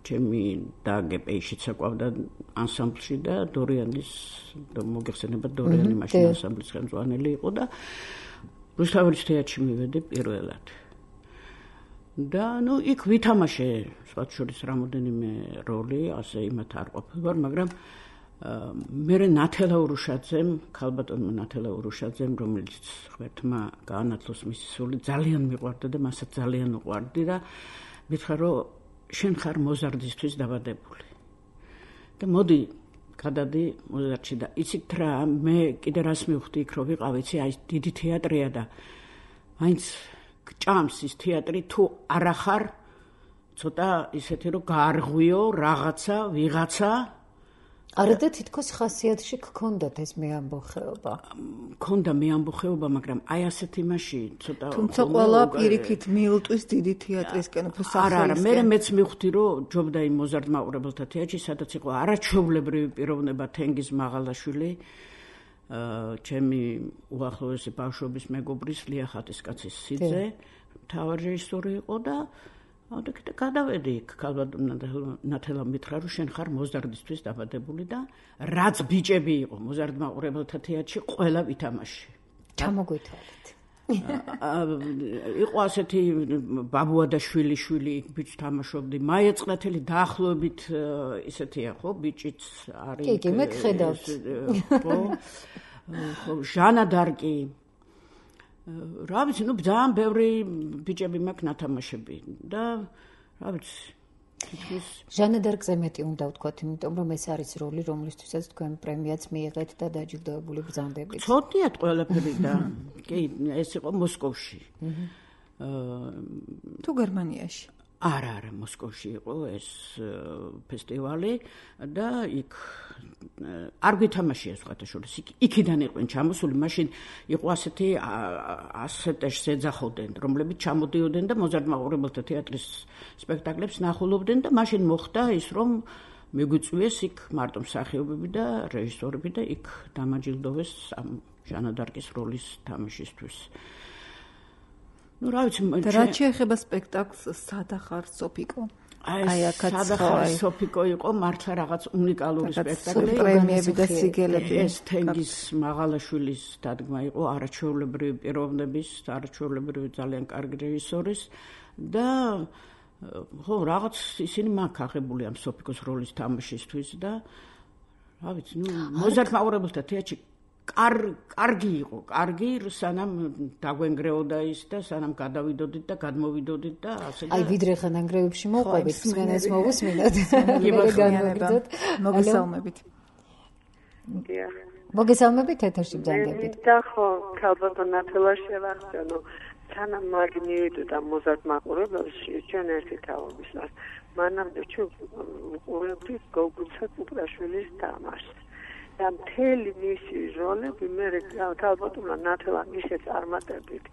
Speaker 5: ჩემი დააგე პეიშიც აყვავდა ანსამბლში და დორიანის მოგეხსენებათ დორიანი მაშინ ანსამბლის ხელმძღვანელი იყო და რუსთაველის თეატრში მივედი პირველად. და ნუ იქ ვითამაშე სხვათა შორის რამოდენიმე როლი, ასე იმათ არ ყოფილვარ, მაგრამ მე ნათელა ურუშაძემ, ქალბატონმა ნათელა ურუშაძემ, რომელიც ღმერთმა გაანათლოს მისი სული, ძალიან მიყვარდა და მასაც ძალიან უყვარდი და მითხრა, რომ შენ ხარ მოზარდისთვის დაბადებული. და მოდი გადადი მოზარდში და იცით რა, მე კიდე რას მივხვდი იქ, რომ ვიყავ, იცი, აი დიდი თეატრია და მაინც ჭამს ის თეატრი თუ არა ხარ ცოტა ისეთი რომ გაარღვიო რაღაცა ვიღაცა
Speaker 2: არა და თითქოს ხასიათში გქონდათ ეს მეამბოხეობა
Speaker 5: გქონდა მეამბოხეობა მაგრამ აი ასეთ იმაში ცოტა
Speaker 3: თუმცა ყველა პირიქით მიილტვის დიდი თეატრისკენ უფრო
Speaker 5: არა არა მე მეც მივხვდი რომ ჯობდა იმ მოზარდ მაყურებელთა თეატრში სადაც იყო არაჩვეულებრივი პიროვნება თენგიზ მაღალაშვილი ჩემი უახლოესი ბავშვობის მეგობრის ლია ხატისკაცის სიძე მთავარი რეჟისორი იყო და აუდაკი და გადავედი იქ ქალბატონმა ნათელა მითხრა რომ შენ ხარ მოზარდისთვის დაბადებული და რაც ბიჭები იყო მოზარდ მაყურებელთა თეატრში ყველა ვითამაში.
Speaker 2: ჩამოგვითვალეთ.
Speaker 5: იყო ასეთი ბაბუადაშვილი შვილი ბიჭ თამაშობდი. მაია წნათელი დაახლოებით ისეთია ხო ბიჭიც არის.
Speaker 2: კი, კი, მე გხედავთ.
Speaker 5: ხო. ჟანა დარკი. რა ვიცი, ნუ ძალიან ბევრი ბიჭები მაქვს ნათამაშები და რა ვიცი
Speaker 2: ჟანა დარკზე მეტი უნდა ვთქვათ, იმიტომ რომ ეს არის როლი, რომლისთვისაც თქვენ პრემიაც მიიღეთ და დაჯილდოებული ბრძანდებით.
Speaker 5: ცოტიათ ყველაფერი და კი, ეს იყო მოსკოვში.
Speaker 3: თუ გერმანიაში?
Speaker 5: არა, არა, მოსკოვში იყო ეს ფესტივალი და იქ არ გვითამაშია სხვათაშორის. იქიდან იყვნენ ჩამოსული, მაშინ იყო ასეთი ასეთეშს ეძახოდნენ, რომლებიც ჩამოდიოდნენ და მოზარდ მაყურებელთა თეატრის სპექტაკლებს ნახულობდნენ და მაშინ მოხდა ის, რომ მიგვიწვიეს იქ მარტო მსახიობები და რეჟისორები და იქ დამაჯილდოვეს ამ ჟანა დარკის როლის თამაშისთვის. ну რა ვიცი
Speaker 3: და რა შეეხება სპექტაკლს სადახარ სოფიკო
Speaker 5: აი აქაც სადახარ სოფიკო იყო მართლა რაღაც უნიკალური სპექტაკლი
Speaker 3: პრემიები და სიგელები
Speaker 5: ეს თენგიზ მაღალაშვილის დადგმა იყო არაჩვეულებრივი პიროვნების არაჩვეულებრივი ძალიან კარგი რეჟისორის და ხო რაღაც ისინი მაქვს აღებული ამ სოფიკოს როლის თამაშისთვის და რა ვიცი ну მოზარდ მაყურებელთა თეატრში კარგი იყო, კარგი, სანამ დაგვენგრეოდა ის და სანამ გადავიდოდით და გადმოვიდოდით და ასე და
Speaker 2: აი ვიდრე ხანანგრევებში მოყვებით, მსმენელს მოვუსმინოთ.
Speaker 3: მოგესალმებით.
Speaker 2: მოგესალმებით ეთერში ბრძანდებით.
Speaker 6: და ხო, ქალბატონ ნათელა შევახსენო, სანამ მაგნივიდო და მოზარდ მაყურებელში ჩვენ ერთი თაობისას. მანამდე ჩვენ უყურებდით გოგუცა კუპრაშვილის თამაშს. და მთელი მისი როლები მე ქალბატონმა ნათელამ ისე წარმატებით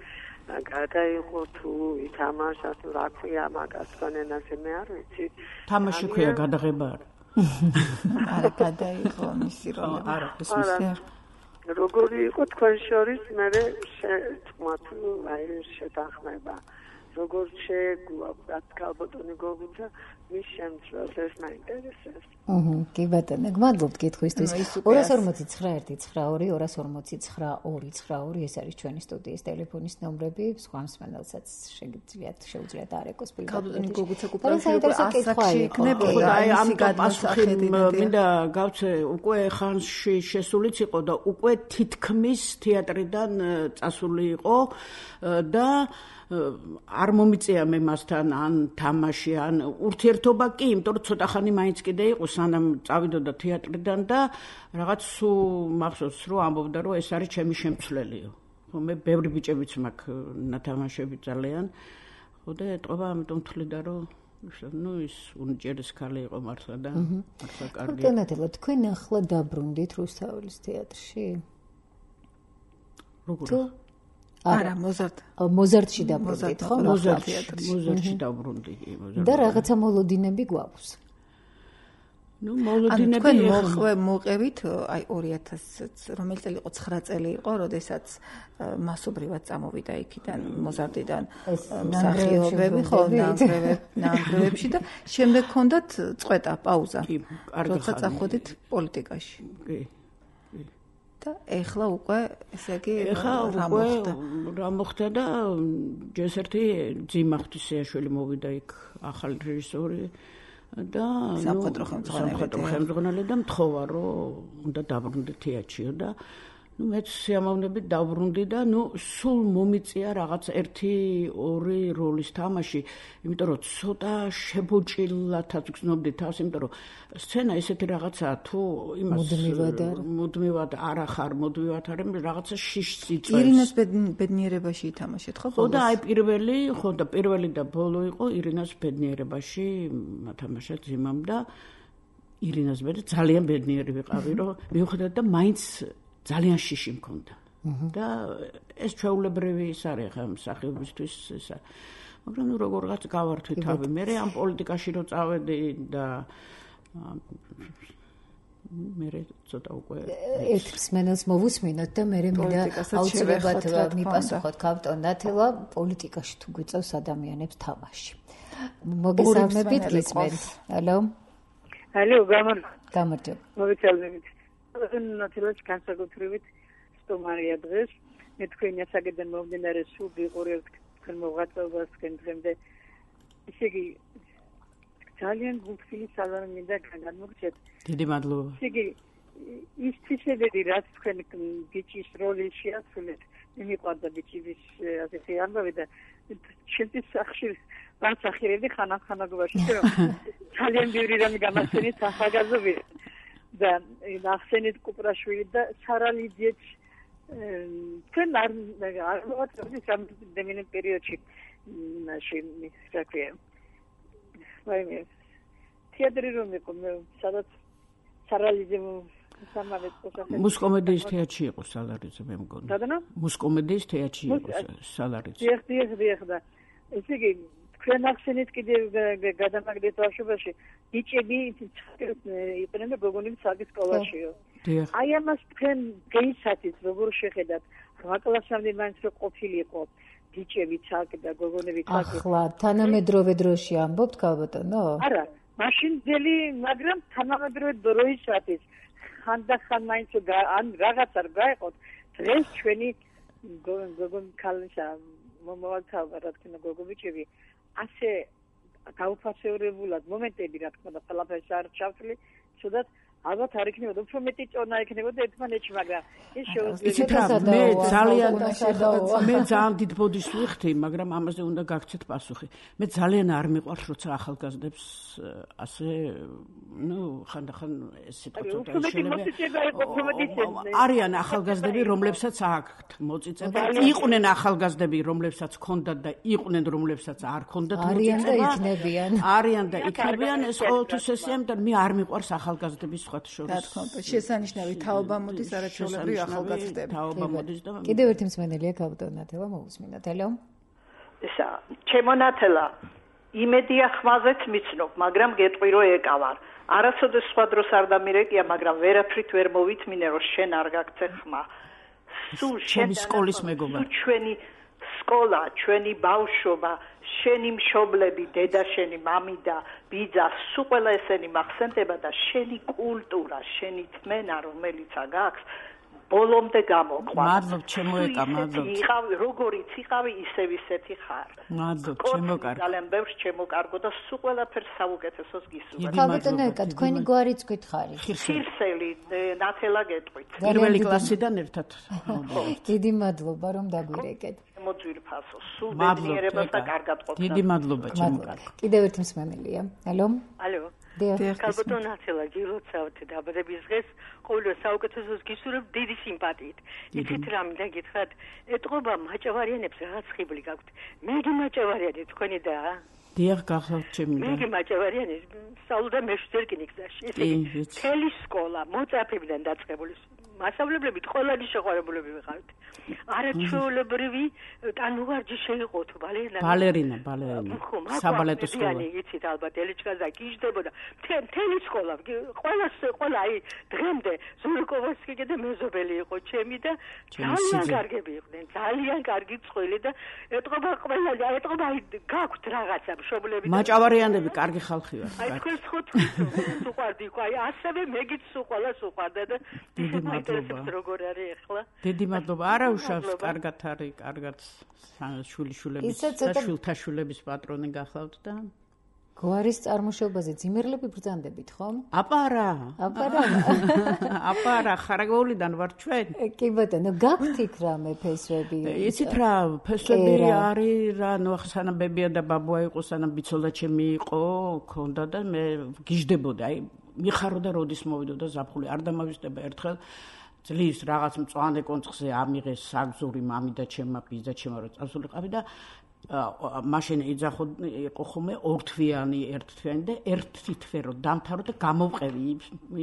Speaker 6: გადაიღო თუ ითამაშა თუ რა ქვია მაგას განენაზე მე არ ვიცი
Speaker 5: თამაში ქვია გადაღება არა
Speaker 3: არა გადაიღო მისი როლები
Speaker 5: არა ეს მისი
Speaker 6: როგორი იყო თქვენ შორის მე თქვათ აი შეთანხმება როგორ შეგვაქვს ქალბატონი გოგუცა მის შემცვლელს ეს მაინტერესებს.
Speaker 2: აჰა, კი ბატონო, გმადლობთ კითხვისთვის. ორას ორმოცი ცხრა ერთი ცხრა ორი, ორას ორმოცი ცხრა ორი ცხრა ორი ეს არის ჩვენი სტუდიის ტელეფონის ნომრები. სხვა მსმენელსაც შეგიძლიათ შეუძლიათ არეკოს პირდაპირ.
Speaker 3: ქალბატონი გოგუცა კუპრაშვილი ასაკში იქნებოდა
Speaker 5: აი ამ პასუხი მინდა გავცე უკვე ხანში შესულიც იყო და უკვე თითქმის თეატრიდან წასული იყო და არ მომიწია მე მასთან ან თამაში ან ურთიერთობა კი, იმიტომ რომ ცოტა ხანი მაინც კიდე იყო სანამ წავიდოდა თეატრიდან და რაღაც სულ მახსოვს რომ ამბობდა რომ ეს არის ჩემი შემცვლელიო. ხო მე ბევრი ბიჭებიც მაქვს ნათამაშები ძალიან. ხო და ეტყობა ამიტომ თვლიდა რომ ну ის უნიჭერის ქალი იყო მართლა და მართლა კარგი.
Speaker 2: ბატონო, თქვენ ახლა დაბრუნდით რუსთაველის თეატრში?
Speaker 5: როგორ?
Speaker 3: არა, მოზარდ.
Speaker 2: მოზარდში დაბრუნდით, ხო?
Speaker 5: მოზარდში, მოზარდში დაბრუნდი, მოზარდში.
Speaker 2: და რაღაცა მოლოდინები გვაქვს.
Speaker 5: ну მოლოდინები
Speaker 3: თქვენ მოყვე მოყევით აი ორი ათასი რომელი წელი იყო ცხრა წელი იყო, როდესაც მასობრივად წამოვიდა იქიდან მოზარდიდან მსახიობები, ხო, ნანგრევებში და შემდეგ ჰქონდათ წყვეტა, პაუზა.
Speaker 5: კი, კარგი ხანი.
Speaker 3: როცა წახვედით პოლიტიკაში.
Speaker 5: კი.
Speaker 3: და ეხლა უკვე ესე იგი
Speaker 5: ეხლა უკვე რა მოხდა და ჯერ ერთი ძიმა ღვთისეაშვილი მოვიდა იქ ახალი რეჟისორი და
Speaker 3: სამხედრო
Speaker 5: ხელმძღვანელი და მთხოვა რომ უნდა დაბრუნდე თეატრშიო და ну მეც სიამოვნებით დავბრუნდი და ну სულ მომიწია რაღაც ერთი ორი როლის თამაში, იმიტომ რომ ცოტა შებოჭილათაც გრძნობდი თავს, იმიტომ რომ სცენა ესეთი რაღაცაა თუ იმას
Speaker 2: მუდმივად არ
Speaker 5: მუდმივად არ ახარ, მუდმივად არ რაღაცა შიშს იწვევს.
Speaker 3: ირინას ბედნიერებაში ითამაშეთ ხო?
Speaker 5: ხო და აი პირველი, ხო და პირველი და ბოლო იყო ირინას ბედნიერებაში მათამაშა ძიმამ და ირინას მე ძალიან ბედნიერი ვიყავი, რომ მივხვდეთ და მაინც ძალიან შიში მქონდა. და ეს ჩვეულებრივი ის არის ხა მსახიობისთვის ესა. მაგრამ ნუ როგორღაც გავართვი თავი. მე ამ პოლიტიკაში რო წავედი და მე ცოტა უკვე
Speaker 2: ერთ მსმენელს მოვუსმინოთ და მე მინდა აუცილებლად მიპასუხოთ ქალბატონ ნათელა პოლიტიკაში თუ გვიწევს ადამიანებს თამაში. მოგესალმებით გისმენთ. ალო.
Speaker 6: ალო, გამარ.
Speaker 2: გამარჯობა.
Speaker 6: მოგესალმებით. ნათელაч განსაკუთრებით სტუმარია დღეს. მე თქვენი ასაკიდან მომდინარე სულ ვიყურებთ თქვენ მოღვაწეობას თქვენ დღემდე. ისე იგი ძალიან გულწრფელი სალამი მინდა განმოგცეთ.
Speaker 5: დიდი მადლობა.
Speaker 6: ისე იგი ის ცისებები რაც თქვენ ბიჭის როლი შეასრულეთ, მიმიყვარდა ბიჭის ასეთი ამბავი და ჩემთვის სახში ვანსახირებდი ხანახანაგობაში რომ ძალიან ბევრი რამე გამახსენეთ ახალგაზრდობიდან და ნახსენეთ კუპრაშვილი და სარალიძეც თქვენ არ არ მოაწოდეთ ამ დემინე პერიოდში მაშინ ისაკია ვაიმე თეატრი რომ იყო სადაც სარალიძე
Speaker 5: მუსკომედიის თეატრში იყო სალარიძე მე მგონი.
Speaker 6: დადანა?
Speaker 5: მუსკომედიის თეატრში იყო სალარიძე.
Speaker 6: დიახ, დიახ, დიახ და ესე იგი თქვენ ახსენეთ კიდევ გადამაგდეთ ბავშვობაში ბიჭები იყვნენ და გოგონები საერთოდ სკოლაშიო.
Speaker 5: დიახ.
Speaker 6: აი ამას თქვენ გეიცადით როგორ შეხედათ? რვა კლასამდე მაინც რო ყოფილიყო ბიჭები ცალკ და გოგონები ცალკ.
Speaker 2: ახლა თანამედროვე დროში ამბობთ ქალბატონო?
Speaker 6: არა, მაშინ ძელი, მაგრამ თანამედროვე დროისათვის ხანდახან მაინც ან რაღაც არ გაიყოთ დღეს ჩვენი გოგონ ქალისა მომავალთაობა რა თქმა უნდა გოგობიჭები ასე გაუფასეურებულად მომენტები რა თქმა უნდა ყველაფერს არ ჩავთვლი ცუდად ალბათ არ იქნებოდა უფრო მეტი წონა იქნებოდა ერთმანეთში მაგრამ ის
Speaker 5: შეუძლია მე ძალიან მე ძალიან დიდ ბოდიშს ვიხდი მაგრამ ამაზე უნდა გაგცეთ პასუხი მე ძალიან არ მიყვარს როცა ახალგაზრდებს ასე ну ხანდახან ეს სიტყვა ცოტა შეიძლება არიან ახალგაზრდები რომლებსაც აქვთ მოწიწება იყვნენ ახალგაზრდები რომლებსაც ჰქონდათ და იყვნენ რომლებსაც არ ჰქონდათ
Speaker 2: მოწიწება არიან და იქნებიან
Speaker 5: არიან და იქნებიან ეს ყოველთვის ესეა და მე არ მიყვარს ახალგაზრდების
Speaker 3: რა თქმა უნდა, შესანიშნავი თაობა მოდის არაჩვეულებრივი ახალგაზრდები.
Speaker 5: თაობა მოდის და
Speaker 2: კიდევ ერთი მსმენელია ქალბატონ ნათელა მოусმინოთ. ელო.
Speaker 7: ესა, ჩემო ნათელა, იმედია ხმაზეც მიცნობ, მაგრამ გეტყვი რომ ეკავარ. არასოდეს სხვა დროს არ დამირეკია, მაგრამ ვერაფრით ვერ მოვითმინე რომ შენ არ გაგცე ხმა. სულ შენ
Speaker 5: სკოლის მეგობარ.
Speaker 7: ჩვენი სკოლა, ჩვენი ბავშვობა, შენი მშობლები, დედა შენი, მამი და ბიძა, სულ ყველა ესენი მახსენდება და შენი კულტურა, შენი თმენა, რომელიც გაქვს, ბოლომდე გამოყვა.
Speaker 5: მადლობ, ჩემო ეკა, მადლობ.
Speaker 7: იყავი, როგორიც იყავი, ისევ ისეთი ხარ.
Speaker 5: მადლობ, ჩემო კარგო.
Speaker 7: ძალიან ბევრს ჩემო კარგო და სულ ყველაფერს საუკეთესოს გისურვებ.
Speaker 2: ქალბატონო ეკა, თქვენი გვარიც გითხარი.
Speaker 7: ხირსელი, ნათელა გეტყვით.
Speaker 5: პირველი კლასიდან ერთად.
Speaker 2: დიდი მადლობა რომ დაგვირეკეთ.
Speaker 7: მოძვირფასო, სულ ბედნიერებას და კარგად ყოფნა.
Speaker 5: დიდი მადლობა, ჩემო კარგო.
Speaker 2: კიდევ ერთი მსმენელია. ალო.
Speaker 8: ალო. ქალბატონ ნათელა, გილოცავთ დაბადების დღეს, ყოველდღე საუკეთესოს გისურვებ დიდი სიმპათიით. იცით რა მინდა გითხრათ, ეტყობა მაჭავარიანებს რაღაც ხიბლი გაქვთ. მეგი მაჭავარიანი თქვენი და
Speaker 5: დიახ, გახავთ ჩემი და.
Speaker 8: მეგი მაჭავარიანი სწავლობდა მეშვიდე რკინიგზაში. ესე თელი სკოლა მოწაფებიდან დაწყებული მასწავლებლებით ყველანი შეყვარებულები ვიყავით. არაჩვეულებრივი ტანმოვარჯი შეიყო თუ ბალერინა.
Speaker 5: ბალერინა, ბალერინა. საბალეტო სკოლა.
Speaker 8: იცით ალბათ ელჩკაზა გიждდებოდა. მთელი სკოლა, ყველა ყველა აი დღემდე ზურკოვსკი და მეზობელი იყო ჩემი და ძალიან კარგები იყვნენ. ძალიან კარგი წყვილი და ეტყობა ყველა ეტყობა აი გაქვთ რაღაცა მშობლები.
Speaker 5: მაჭავარიანები კარგი ხალხი ვარ.
Speaker 8: აი თქვენ ხუთი უყვარდი ხო აი ასევე მეგიც უყვალა უყვარდა და როგორ არის ახლა?
Speaker 5: დიდი მადლობა. არა უშავს, კარგად არის, კარგად შვილიშვილების და შვილთაშვილების პატრონი გახლავთ და
Speaker 2: გვარის წარმოშობაზე ძიმერლები ბრძანდებით, ხომ?
Speaker 5: აპარა.
Speaker 2: აპარა.
Speaker 5: აპარა, ხარაგოულიდან ვარ ჩვენ.
Speaker 2: კი ბატონო, გაქვთ იქ რამე ფესვები?
Speaker 5: იცით რა, ფესვები არის რა, ნუ სანამ ბებია და ბაბუა იყო, სანამ ბიცოლა ჩემი იყო, ქონდა და მე გიждდებოდა, აი მიხარო და როდის მოვიდოდა ზაფხული, არ დამავიწყდება ერთხელ წლის რაღაც მწვანე კონცხზე ამიღეს საგზური მამი და ჩემმა ბიძა ჩემმა რო წასულიყავი და მაშინ იძახო იყო ხომ ორთვიანი ერთთვიანი და ერთი თვე რო დამთავრო და გამოვყევი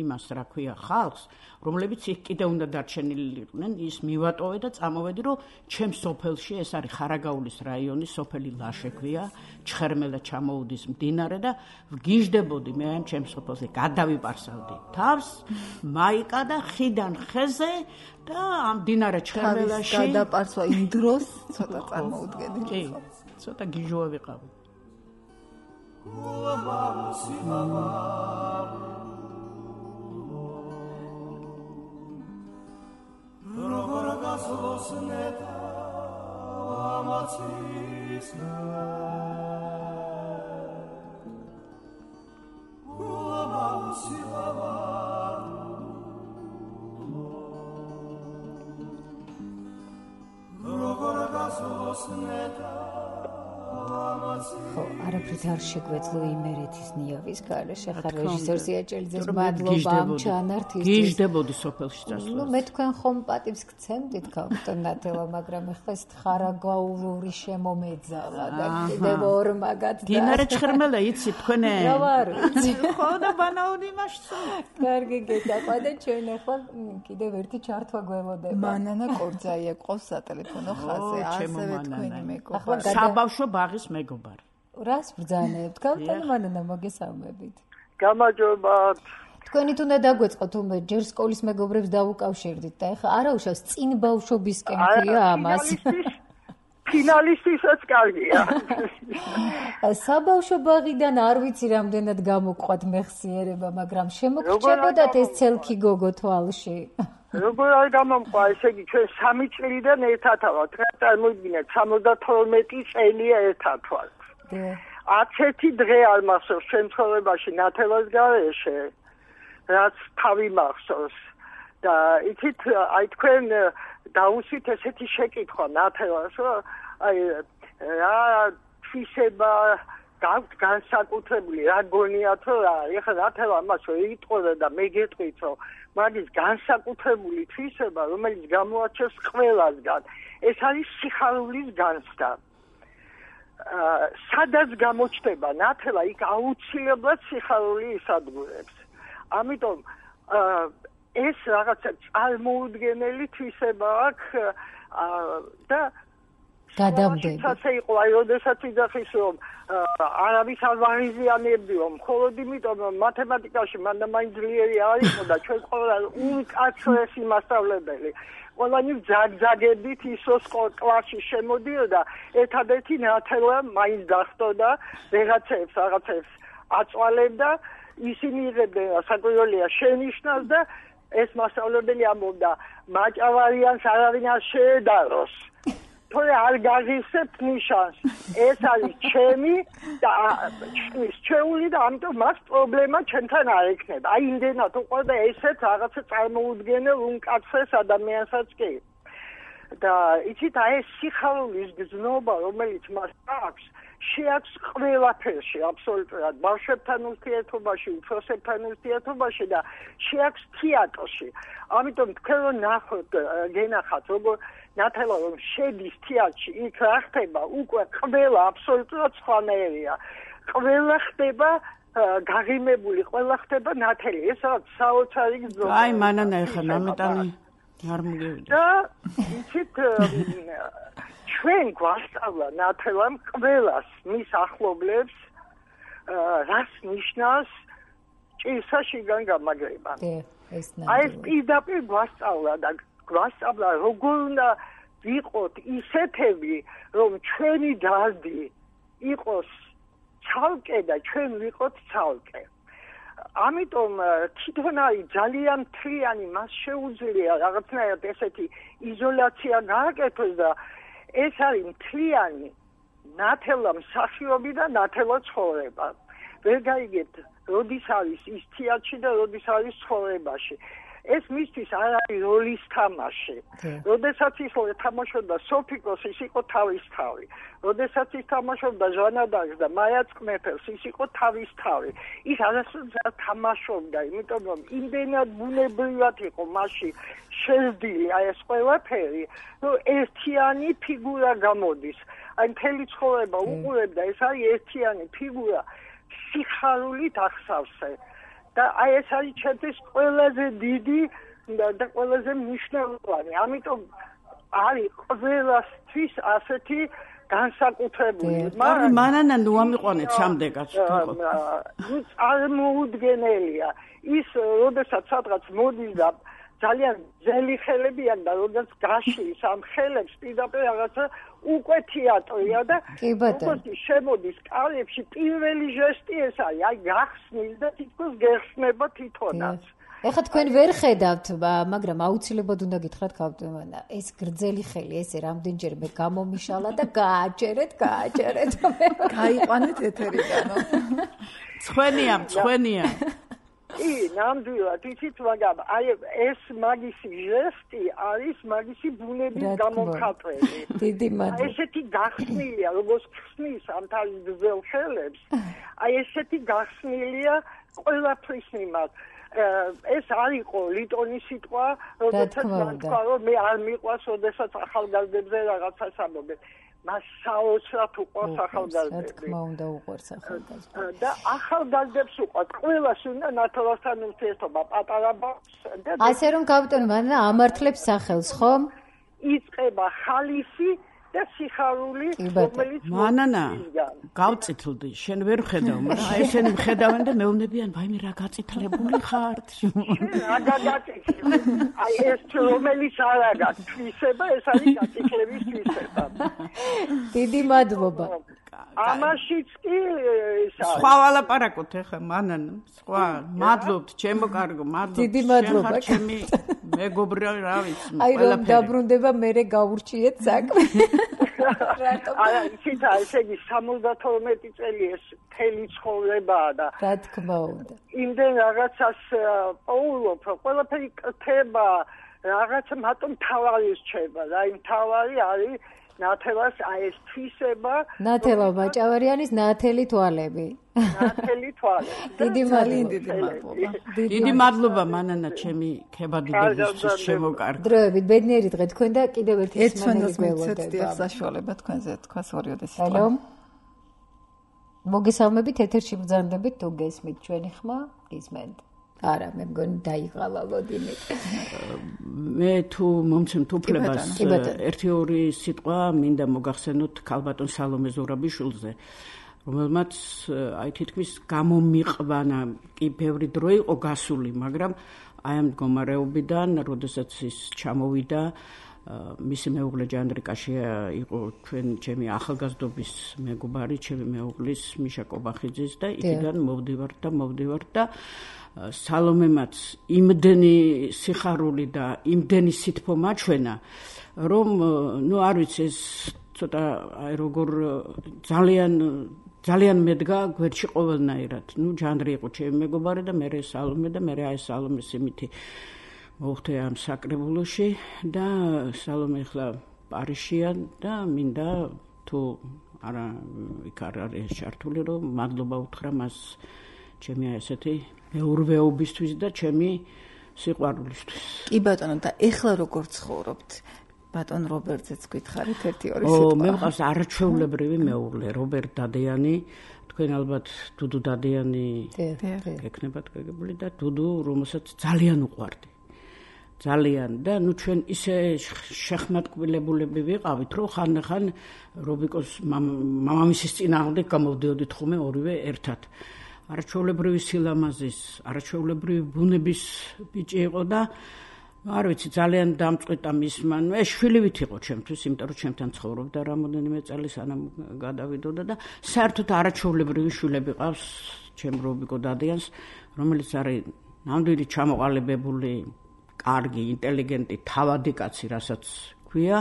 Speaker 5: იმას რა ქვია ხალხს რომლებიც იქ კიდე უნდა დარჩენილიყვნენ ის მივატოვე და წამოვედი რომ ჩემს სოფელში ეს არის ხარაგაულის რაიონის სოფელი ლაშექვია ჩხერმელა ჩამოუდის მდინარე და ვგიждდებოდი მე ამ ჩემს სოფელზე გადავიპარსავდი თავს მაიკა და ხიდან ხეზე და ამ მდინარე ჩხერმელაში
Speaker 3: გადაპარსვა იმ დროს ცოტა წარმოუდგენელი
Speaker 5: კი ცოტა გიჟოა ვიყავი
Speaker 2: ხო, არაფრით არ შეგვეძლო იმერეთის ნიავის გარეშე. ხარ რეჟისორ ზიაჭელიძეს მადლობა ამ ჩანართისთვის.
Speaker 5: გიჟდებოდი სოფელში წასვლას.
Speaker 2: ნუ მე თქვენ ხომ პატივს გცემდით ქალბატონ ნათელა, მაგრამ ეხლა ეს ხარაგაულური შემომეძალა და კიდევ ორ მაგათ და
Speaker 5: დინარე ჭხერმელა იცი თქვენე?
Speaker 2: რა ვარ იცი.
Speaker 5: ხო და ბანაური მასწო.
Speaker 2: კარგი გეტაყვა და ჩვენ ახლა კიდევ ერთი ჩართვა გველოდება.
Speaker 3: მანანა კორძაია ყავს სატელეფონო ხაზზე, ასევე თქვენი მეგობარი.
Speaker 5: საბავშვო ბაღის მეგობარი.
Speaker 2: რას ბრძანებთ? ქალბატონ მანანა მოგესალმებით.
Speaker 6: გამარჯობა.
Speaker 2: თქვენით უნდა დაგვეწყოთ უმე ჯერ სკოლის მეგობრებს დავუკავშირდით და ეხლა არაუშავს წინ ბავშვობისკენ ქვია ამას.
Speaker 6: ფინალისტისაც კარგია.
Speaker 2: საბავშვო ბაღიდან არ ვიცი რამდენად გამოგყვათ მეხსიერება, მაგრამ შემოგრჩებოდათ ეს ცელქი გოგო თვალში.
Speaker 6: როგორ არ გამომყვა, ესე იგი ჩვენ სამი წლიდან ერთად ვართ. წარმოიდგინეთ, სამოცდათორმეტი წელია ერთად ვართ. არც ერთი დღე არ მახსოვს ჩვენ ცხოვრებაში ნათელას გარეშე, რაც თავი მახსოვს. და იცით, აი თქვენ დაუსვით ესეთი შეკითხვა ნათელას, რომ აი რა თვისება გაქვთ განსაკუთრებული, რა გონიათ რომ რა, ეხლა ნათელა ამას იტყოდა და მე გეტყვით, რომ მაგის განსაკუთრებული თვისება, რომელიც გამოაჩენს ყველასგან, ეს არის სიხარულის განცდა. სადაც გამოჩნდება ნათელა, იქ აუცილებლად სიხარული ისადგურებს. ამიტომ ეს რაღაცა წარმოუდგენელი თვისება აქვს და
Speaker 2: გადამდები.
Speaker 6: ასე იყო, აი, როდესაც იძახის, რომ არავის არ ვაღიზიანებდიო, მხოლოდ იმიტომ, რომ მათემატიკაში მანდა მაინც ძლიერი არ იყო და ჩვენ ყველა უკაცრესი მასწავლებელი. ყველანი ძაგძაგებით ისოს კლასში შემოდიოდა, ერთადერთი ნათელა მაინც დახვდოდა, ვეღაცებს, რაღაცებს აწვალებდა, ისინი იღებდნენ საკვირველია შენიშნავს და ეს მასწავლებელი ამბობდა, მაჭავარიანს არავინ არ შეედაროს. თორე არ გაღისებთ ნიშანს. ეს არის ჩემი და ჩვენი ჩვეული და ამიტომ მას პრობლემა ჩვენთან არ ექნება. აი იმდენად უყვარდა ესეთ რაღაცა წარმოუდგენელ უმკაცრეს ადამიანსაც კი. და იცით, აი ეს სიხარულის გზნობა, რომელიც მას აქვს, შეაქვს ყველაფერში, აბსოლუტურად, ბავშვებთან ურთიერთობაში, უფროსებთან ურთიერთობაში და შეაქვს თეატრში. ამიტომ თქვენ რომ ნახოთ, გენახათ, როგორ ნათელა რომ შედის თეატრში, იქ რა ხდება, უკვე ყველა აბსოლუტურად სხვანაირია. ყველა ხდება გაღიმებული, ყველა ხდება ნათელი. ეს რაღაც საოცარი გზნობა.
Speaker 5: აი, მანანა ეხა ნამეტანი არ მოგევიდა.
Speaker 6: და იცით, ჩვენ გვასწავლა ნათელამ ყველას მის ახლობლებს რას ნიშნავს ჭირსა შიგან გამაგრება. აი ეს პირდაპირ გვასწავლა და გვასწავლა როგორ უნდა ვიყოთ ისეთები, რომ ჩვენი დარდი იყოს ცალკე და ჩვენ ვიყოთ ცალკე. ამიტომ თვითონ არის ძალიან მთლიანი, მას შეუძლია რაღაცნაირად ესეთი იზოლაცია გააკეთოს და ეს არის მთლიანი ნათელა მსახიობი და ნათელა ცხოვრება. ვერ გაიგებთ, როდის არის ის თეატრში და როდის არის ცხოვრებაში. ეს მისთვის არ არის როლის თამაში. როდესაც ის თამაშობდა სოფიკოს, ის იყო თავის თავი. როდესაც ის თამაშობდა ჟანა დარკს და მაია წმეფელს, ის იყო თავის თავი. ის არასოდეს არ თამაშობდა, იმიტომ რომ იმდენად ბუნებრივად იყო მასში შეზდილი აი ეს ყველაფერი, რომ ერთიანი ფიგურა გამოდის. აი მთელი ცხოვრება უყურებდა, ეს არის ერთიანი ფიგურა სიხარულით ახსავსე. და აი ეს არის ჩემთვის ყველაზე დიდი და ყველაზე მნიშვნელოვანი. ამიტომ არის ყველასთვის ასეთი განსაკუთრებული.
Speaker 5: მაგრამ მანანა ნუ ამიყვანეთ სამდეკაც თქო.
Speaker 6: ნუ წარმოუდგენელია. ის როდესაც სადღაც მოდის და ძალიან ძელი ხელები აქვს და როდესაც გაშლის ამ ხელებს პირდაპირ რაღაცა უკვე თეატრია და როგორც შემოდის კალებში პირველი ჟესტი ეს არის, აი გახსნის და თითქოს გეხსნება თვითონაც.
Speaker 2: ეხლა თქვენ ვერ ხედავთ, მაგრამ აუცილებლად უნდა გითხრათ ქავტომანა, ეს გრძელი ხელი ესე რამდენჯერმე გამომიშალა და გააჭერეთ, გააჭერეთ.
Speaker 3: გაიყვანეთ ეთერიდანო.
Speaker 5: ცხენია, ცხენია.
Speaker 6: კი, ნამდვილად, იცით, მაგრამ აი ეს მაგისი ჟესტი არის მაგისი ბუნების გამომხატველი.
Speaker 2: დიდი მადლობა.
Speaker 6: ესეთი გახსნილია, როგორც ხსნის ამ თავის გრძელ ხელებს, აი ესეთი გახსნილია ყველაფრის მიმართ. ეს არ იყო ლიტონის სიტყვა, როდესაც მან თქვა, რომ მე არ მიყვარს, როდესაც ახალგაზრდებზე რაღაცას ამბობენ. მას საოცრად უყვარს ახალგაზრდები.
Speaker 2: რა თქმა უნდა უყვარს ახალგაზრდებს.
Speaker 6: და ახალგაზრდებს უყვარს. ყველას უნდა ნათელასთან ურთიერთობა პატარა ბავშვს და
Speaker 2: ასე რომ კაპიტანი მანანა ამართლებს სახელს, ხო?
Speaker 6: იწყება ხალისი და სიხარული, რომელიც
Speaker 5: მანანა გავწითლდი, შენ ვერ ხედავ, მაგრამ აი ესენი მხედავენ და მეუბნებიან, ვაიმე რა გაწითლებული ხარ?
Speaker 6: რა გაგაწითლე? აი ეს რომელიც არ აგა თვისება, ეს არის გაწითლების თვისება.
Speaker 2: დიდი მადლობა.
Speaker 6: ამაშიც კი
Speaker 5: სხვა ვალაპარაკოთ ახლა მანანა, სხვა. მადლობთ, ჩემო კარგო, მადლობთ.
Speaker 2: დიდი მადლობა.
Speaker 5: ჩემი მეგობრა რა ვიცი,
Speaker 2: აი რომ დაბრუნდება მერე გაურჩიეთ საქმე.
Speaker 6: არა, იცით, ესე იგი სამოცდათორმეტი წელი ეს მთელი ცხოვრებაა და
Speaker 2: რა თქმა უნდა.
Speaker 6: იმდენ რაღაცას პოულობ, ყველაფერი კრთება, რაღაცა მარტო მთავარი რჩება და იმ მთავარი არის ნათელას აი ეს თვისება.
Speaker 2: ნათელა ბაჭავარიანის ნათელი თვალები.
Speaker 6: ნათელი თვალები.
Speaker 2: დიდი მადლობა.
Speaker 5: დიდი მადლობა მანანა ჩემი ქებადიდების შემოკარგე.
Speaker 2: დროებით ბედნიერი დღე თქვენ და კიდევ ერთი
Speaker 3: სმენელი გველოდება. საშუალება თქვენზე თქვას ორიოდე სიტყვა.
Speaker 2: ჰალო. მოგესალმებით ეთერში ბრძანდებით თუ გესმით ჩვენი ხმა? გისმენთ. არა, მე მგონი დაიღალა ლოდინი.
Speaker 5: მე თუ მომცემთ უფლებას ერთი ორი სიტყვა მინდა მოგახსენოთ ქალბატონ სალომე ზურაბიშვილზე, რომელმაც აი თითქმის გამომიყვანა, კი ბევრი დრო იყო გასული, მაგრამ აი ამ მდგომარეობიდან, როდესაც ის ჩამოვიდა, მისი მეუღლე ჯანდრიკაში იყო ჩვენ ჩემი ახალგაზრდობის მეგობარი, ჩემი მეუღლის მიშა კობახიძის და იქიდან მოვდივართ და მოვდივართ და სალომემაც იმდენი სიხარული და იმდენი სითბო მაჩვენა, რომ ნუ არ ვიცი ეს ცოტა აი როგორ ძალიან ძალიან მედგა გვერდში ყოველნაირად. ნუ ჯანდრი იყო ჩემი მეგობარი და მე სალომე და მე აი სალომეს იმითი მოვხდე ამ საკრებულოში და სალომე ახლა პარიზშია და მინდა თუ არა იქ არ არის ჩართული, რომ მადლობა უთხრა მას ჩემი ესეთი მეურვეობისთვის და ჩემი სიყვარულისთვის.
Speaker 3: კი ბატონო, და ეხლა როგორ ცხოვრობთ? ბატონ რობერტზეც გითხარით ერთი ორი სიტყვა.
Speaker 5: ო, მე მყავს არაჩვეულებრივი მეუღლე, რობერტ დადიანი, თქვენ ალბათ დუდუ დადიანი გეკნებათ გეგებული და დუდუ, რომელსაც ძალიან უყვარდი. ძალიან და ნუ ჩვენ ისე შეხმატკბილებულები ვიყავით, რომ ხან-ხან რობიკოს მამამისის წინააღმდეგ გამოვდიოდით ხოლმე ორივე ერთად. არაჩვეულებრივი სილამაზის, არაჩვეულებრივი ბუნების ბიჭი იყო და არ ვიცი, ძალიან დამწყვეტა მისმა. ეს შვილივით იყო ჩემთვის, იმიტომ რომ ჩემთან ცხოვრობდა რამოდენიმე წელი სანამ გადავიდოდა და საერთოდ არაჩვეულებრივი შვილები ყავს ჩემ რობიკო დადიანს, რომელიც არის ნამდვილი ჩამოყალიბებული, კარგი, ინტელიგენტი, თავადი კაცი, რასაც ქვია,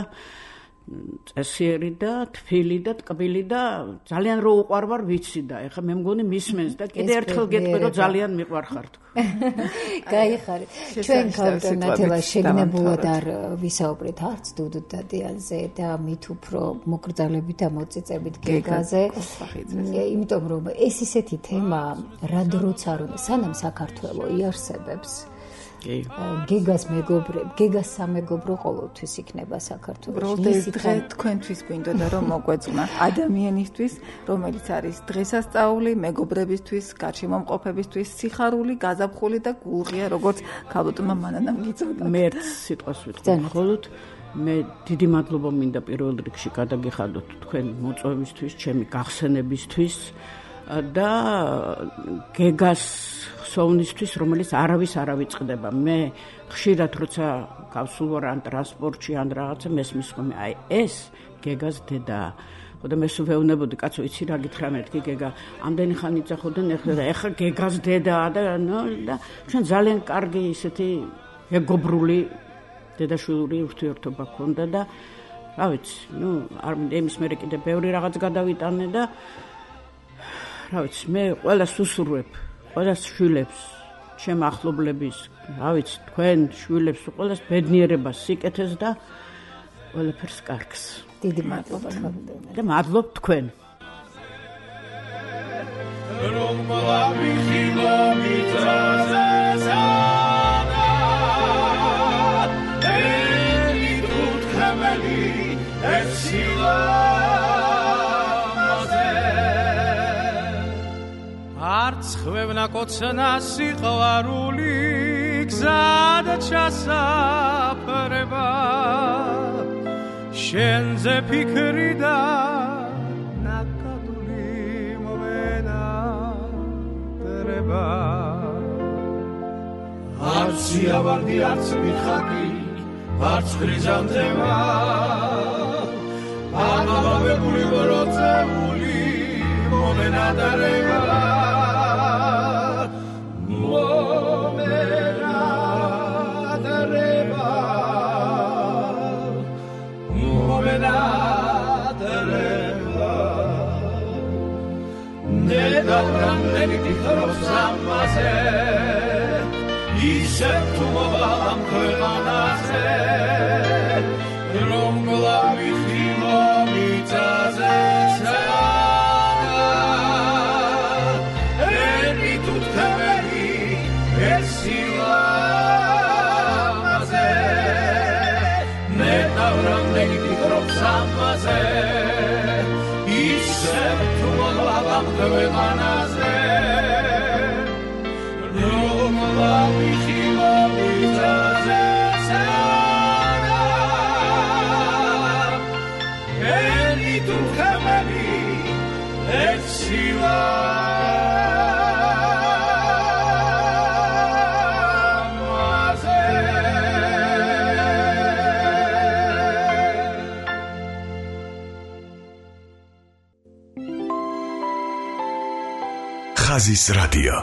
Speaker 5: წესიერი და თბილი და ტკბილი და ძალიან რო უყვარვარ ვიცი და ეხლა მე მგონი მისმენს და კიდე ერთხელ გეტყვი რომ ძალიან მიყვარხარ თქვა.
Speaker 2: გაიხარეთ. ჩვენ ქალბატონ ნათელა შეგნებულად არ ვისაუბრეთ არც დუდუ დადიანზე და მით უფრო მოკრძალებით და მოწიწებით გეგაზე. იმიტომ რომ ეს ისეთი თემა რა დროც არ უნდა, სანამ საქართველო იარსებებს. გეგას მეგობრებ, გეგას სამეგობრო ყოველთვის იქნება საქართველოში.
Speaker 3: ეს დღე თქვენთვის გვინდოდა რომ მოგვეწმა ადამიანისთვის, რომელიც არის დღესასწაული, მეგობრებისთვის, გარშემომყოფებისთვის, სიხარული, გაზაფხული და გულღია, როგორც ქალბატონმა მანანამ გიწოდა.
Speaker 5: მერც სიტყვას ვიტყვი მხოლოდ მე დიდი მადლობა მინდა პირველ რიგში გადაგიხადოთ თქვენ მოწვევისთვის, ჩემი გახსენებისთვის და გეგას სოუნისთვის, რომელიც არავის არ ავიწყდება. მე ხშირად როცა გავსულ ვარ ან ტრანსპორტში ან რაღაცა მესმის ხოლმე, აი ეს გეგას დედაა. ხოდა მე სულ ვეუბნებოდი, კაცო, იცი რა გითხრა მეთქი გეგა, ამდენი ხანი იცახოდან ეხლა და ეხლა გეგას დედაა და ნო და ჩვენ ძალიან კარგი ისეთი ეგობრული დედაშვილური ურთიერთობა ქონდა და რა ვიცი, ნუ არ იმის მერე კიდე ბევრი რაღაც გადავიტანე და რა ვიცი, მე ყველას უსურვებ, ყველას შვილებს, ჩემ ახლობლების, რა ვიცი, თქვენ შვილებს ყველას ბედნიერებას, სიკეთეს და ყველაფერს კარგს.
Speaker 2: დიდი მადლობა
Speaker 5: და მადლობ თქვენ. რომ მოვავი ხილომეტრაზე
Speaker 9: არც ხვევნა კოცნა სიყვარული გზად ჩასაფრება შენზე ფიქრი და ნაკადული მოვენატრება არც სიავარდი არც მიხაკი არც ხრიზანთემა აღაბებული ბროწეული მომენადარება მომენადარება მომენადარება ნედავრამდენი თხრობს ამაზე ისევ თუ მოვალამ ქვეყანაზე რომ გლავი ხილომიწაზე სადა ენი თუ თქებელი ესილამაზე ნედავრამდენი თხრობს ამაზე ისევ თუ მოვალამ ქვეყანაზე რომ გლავი ხილომიწაზე
Speaker 1: ხაზის რადიო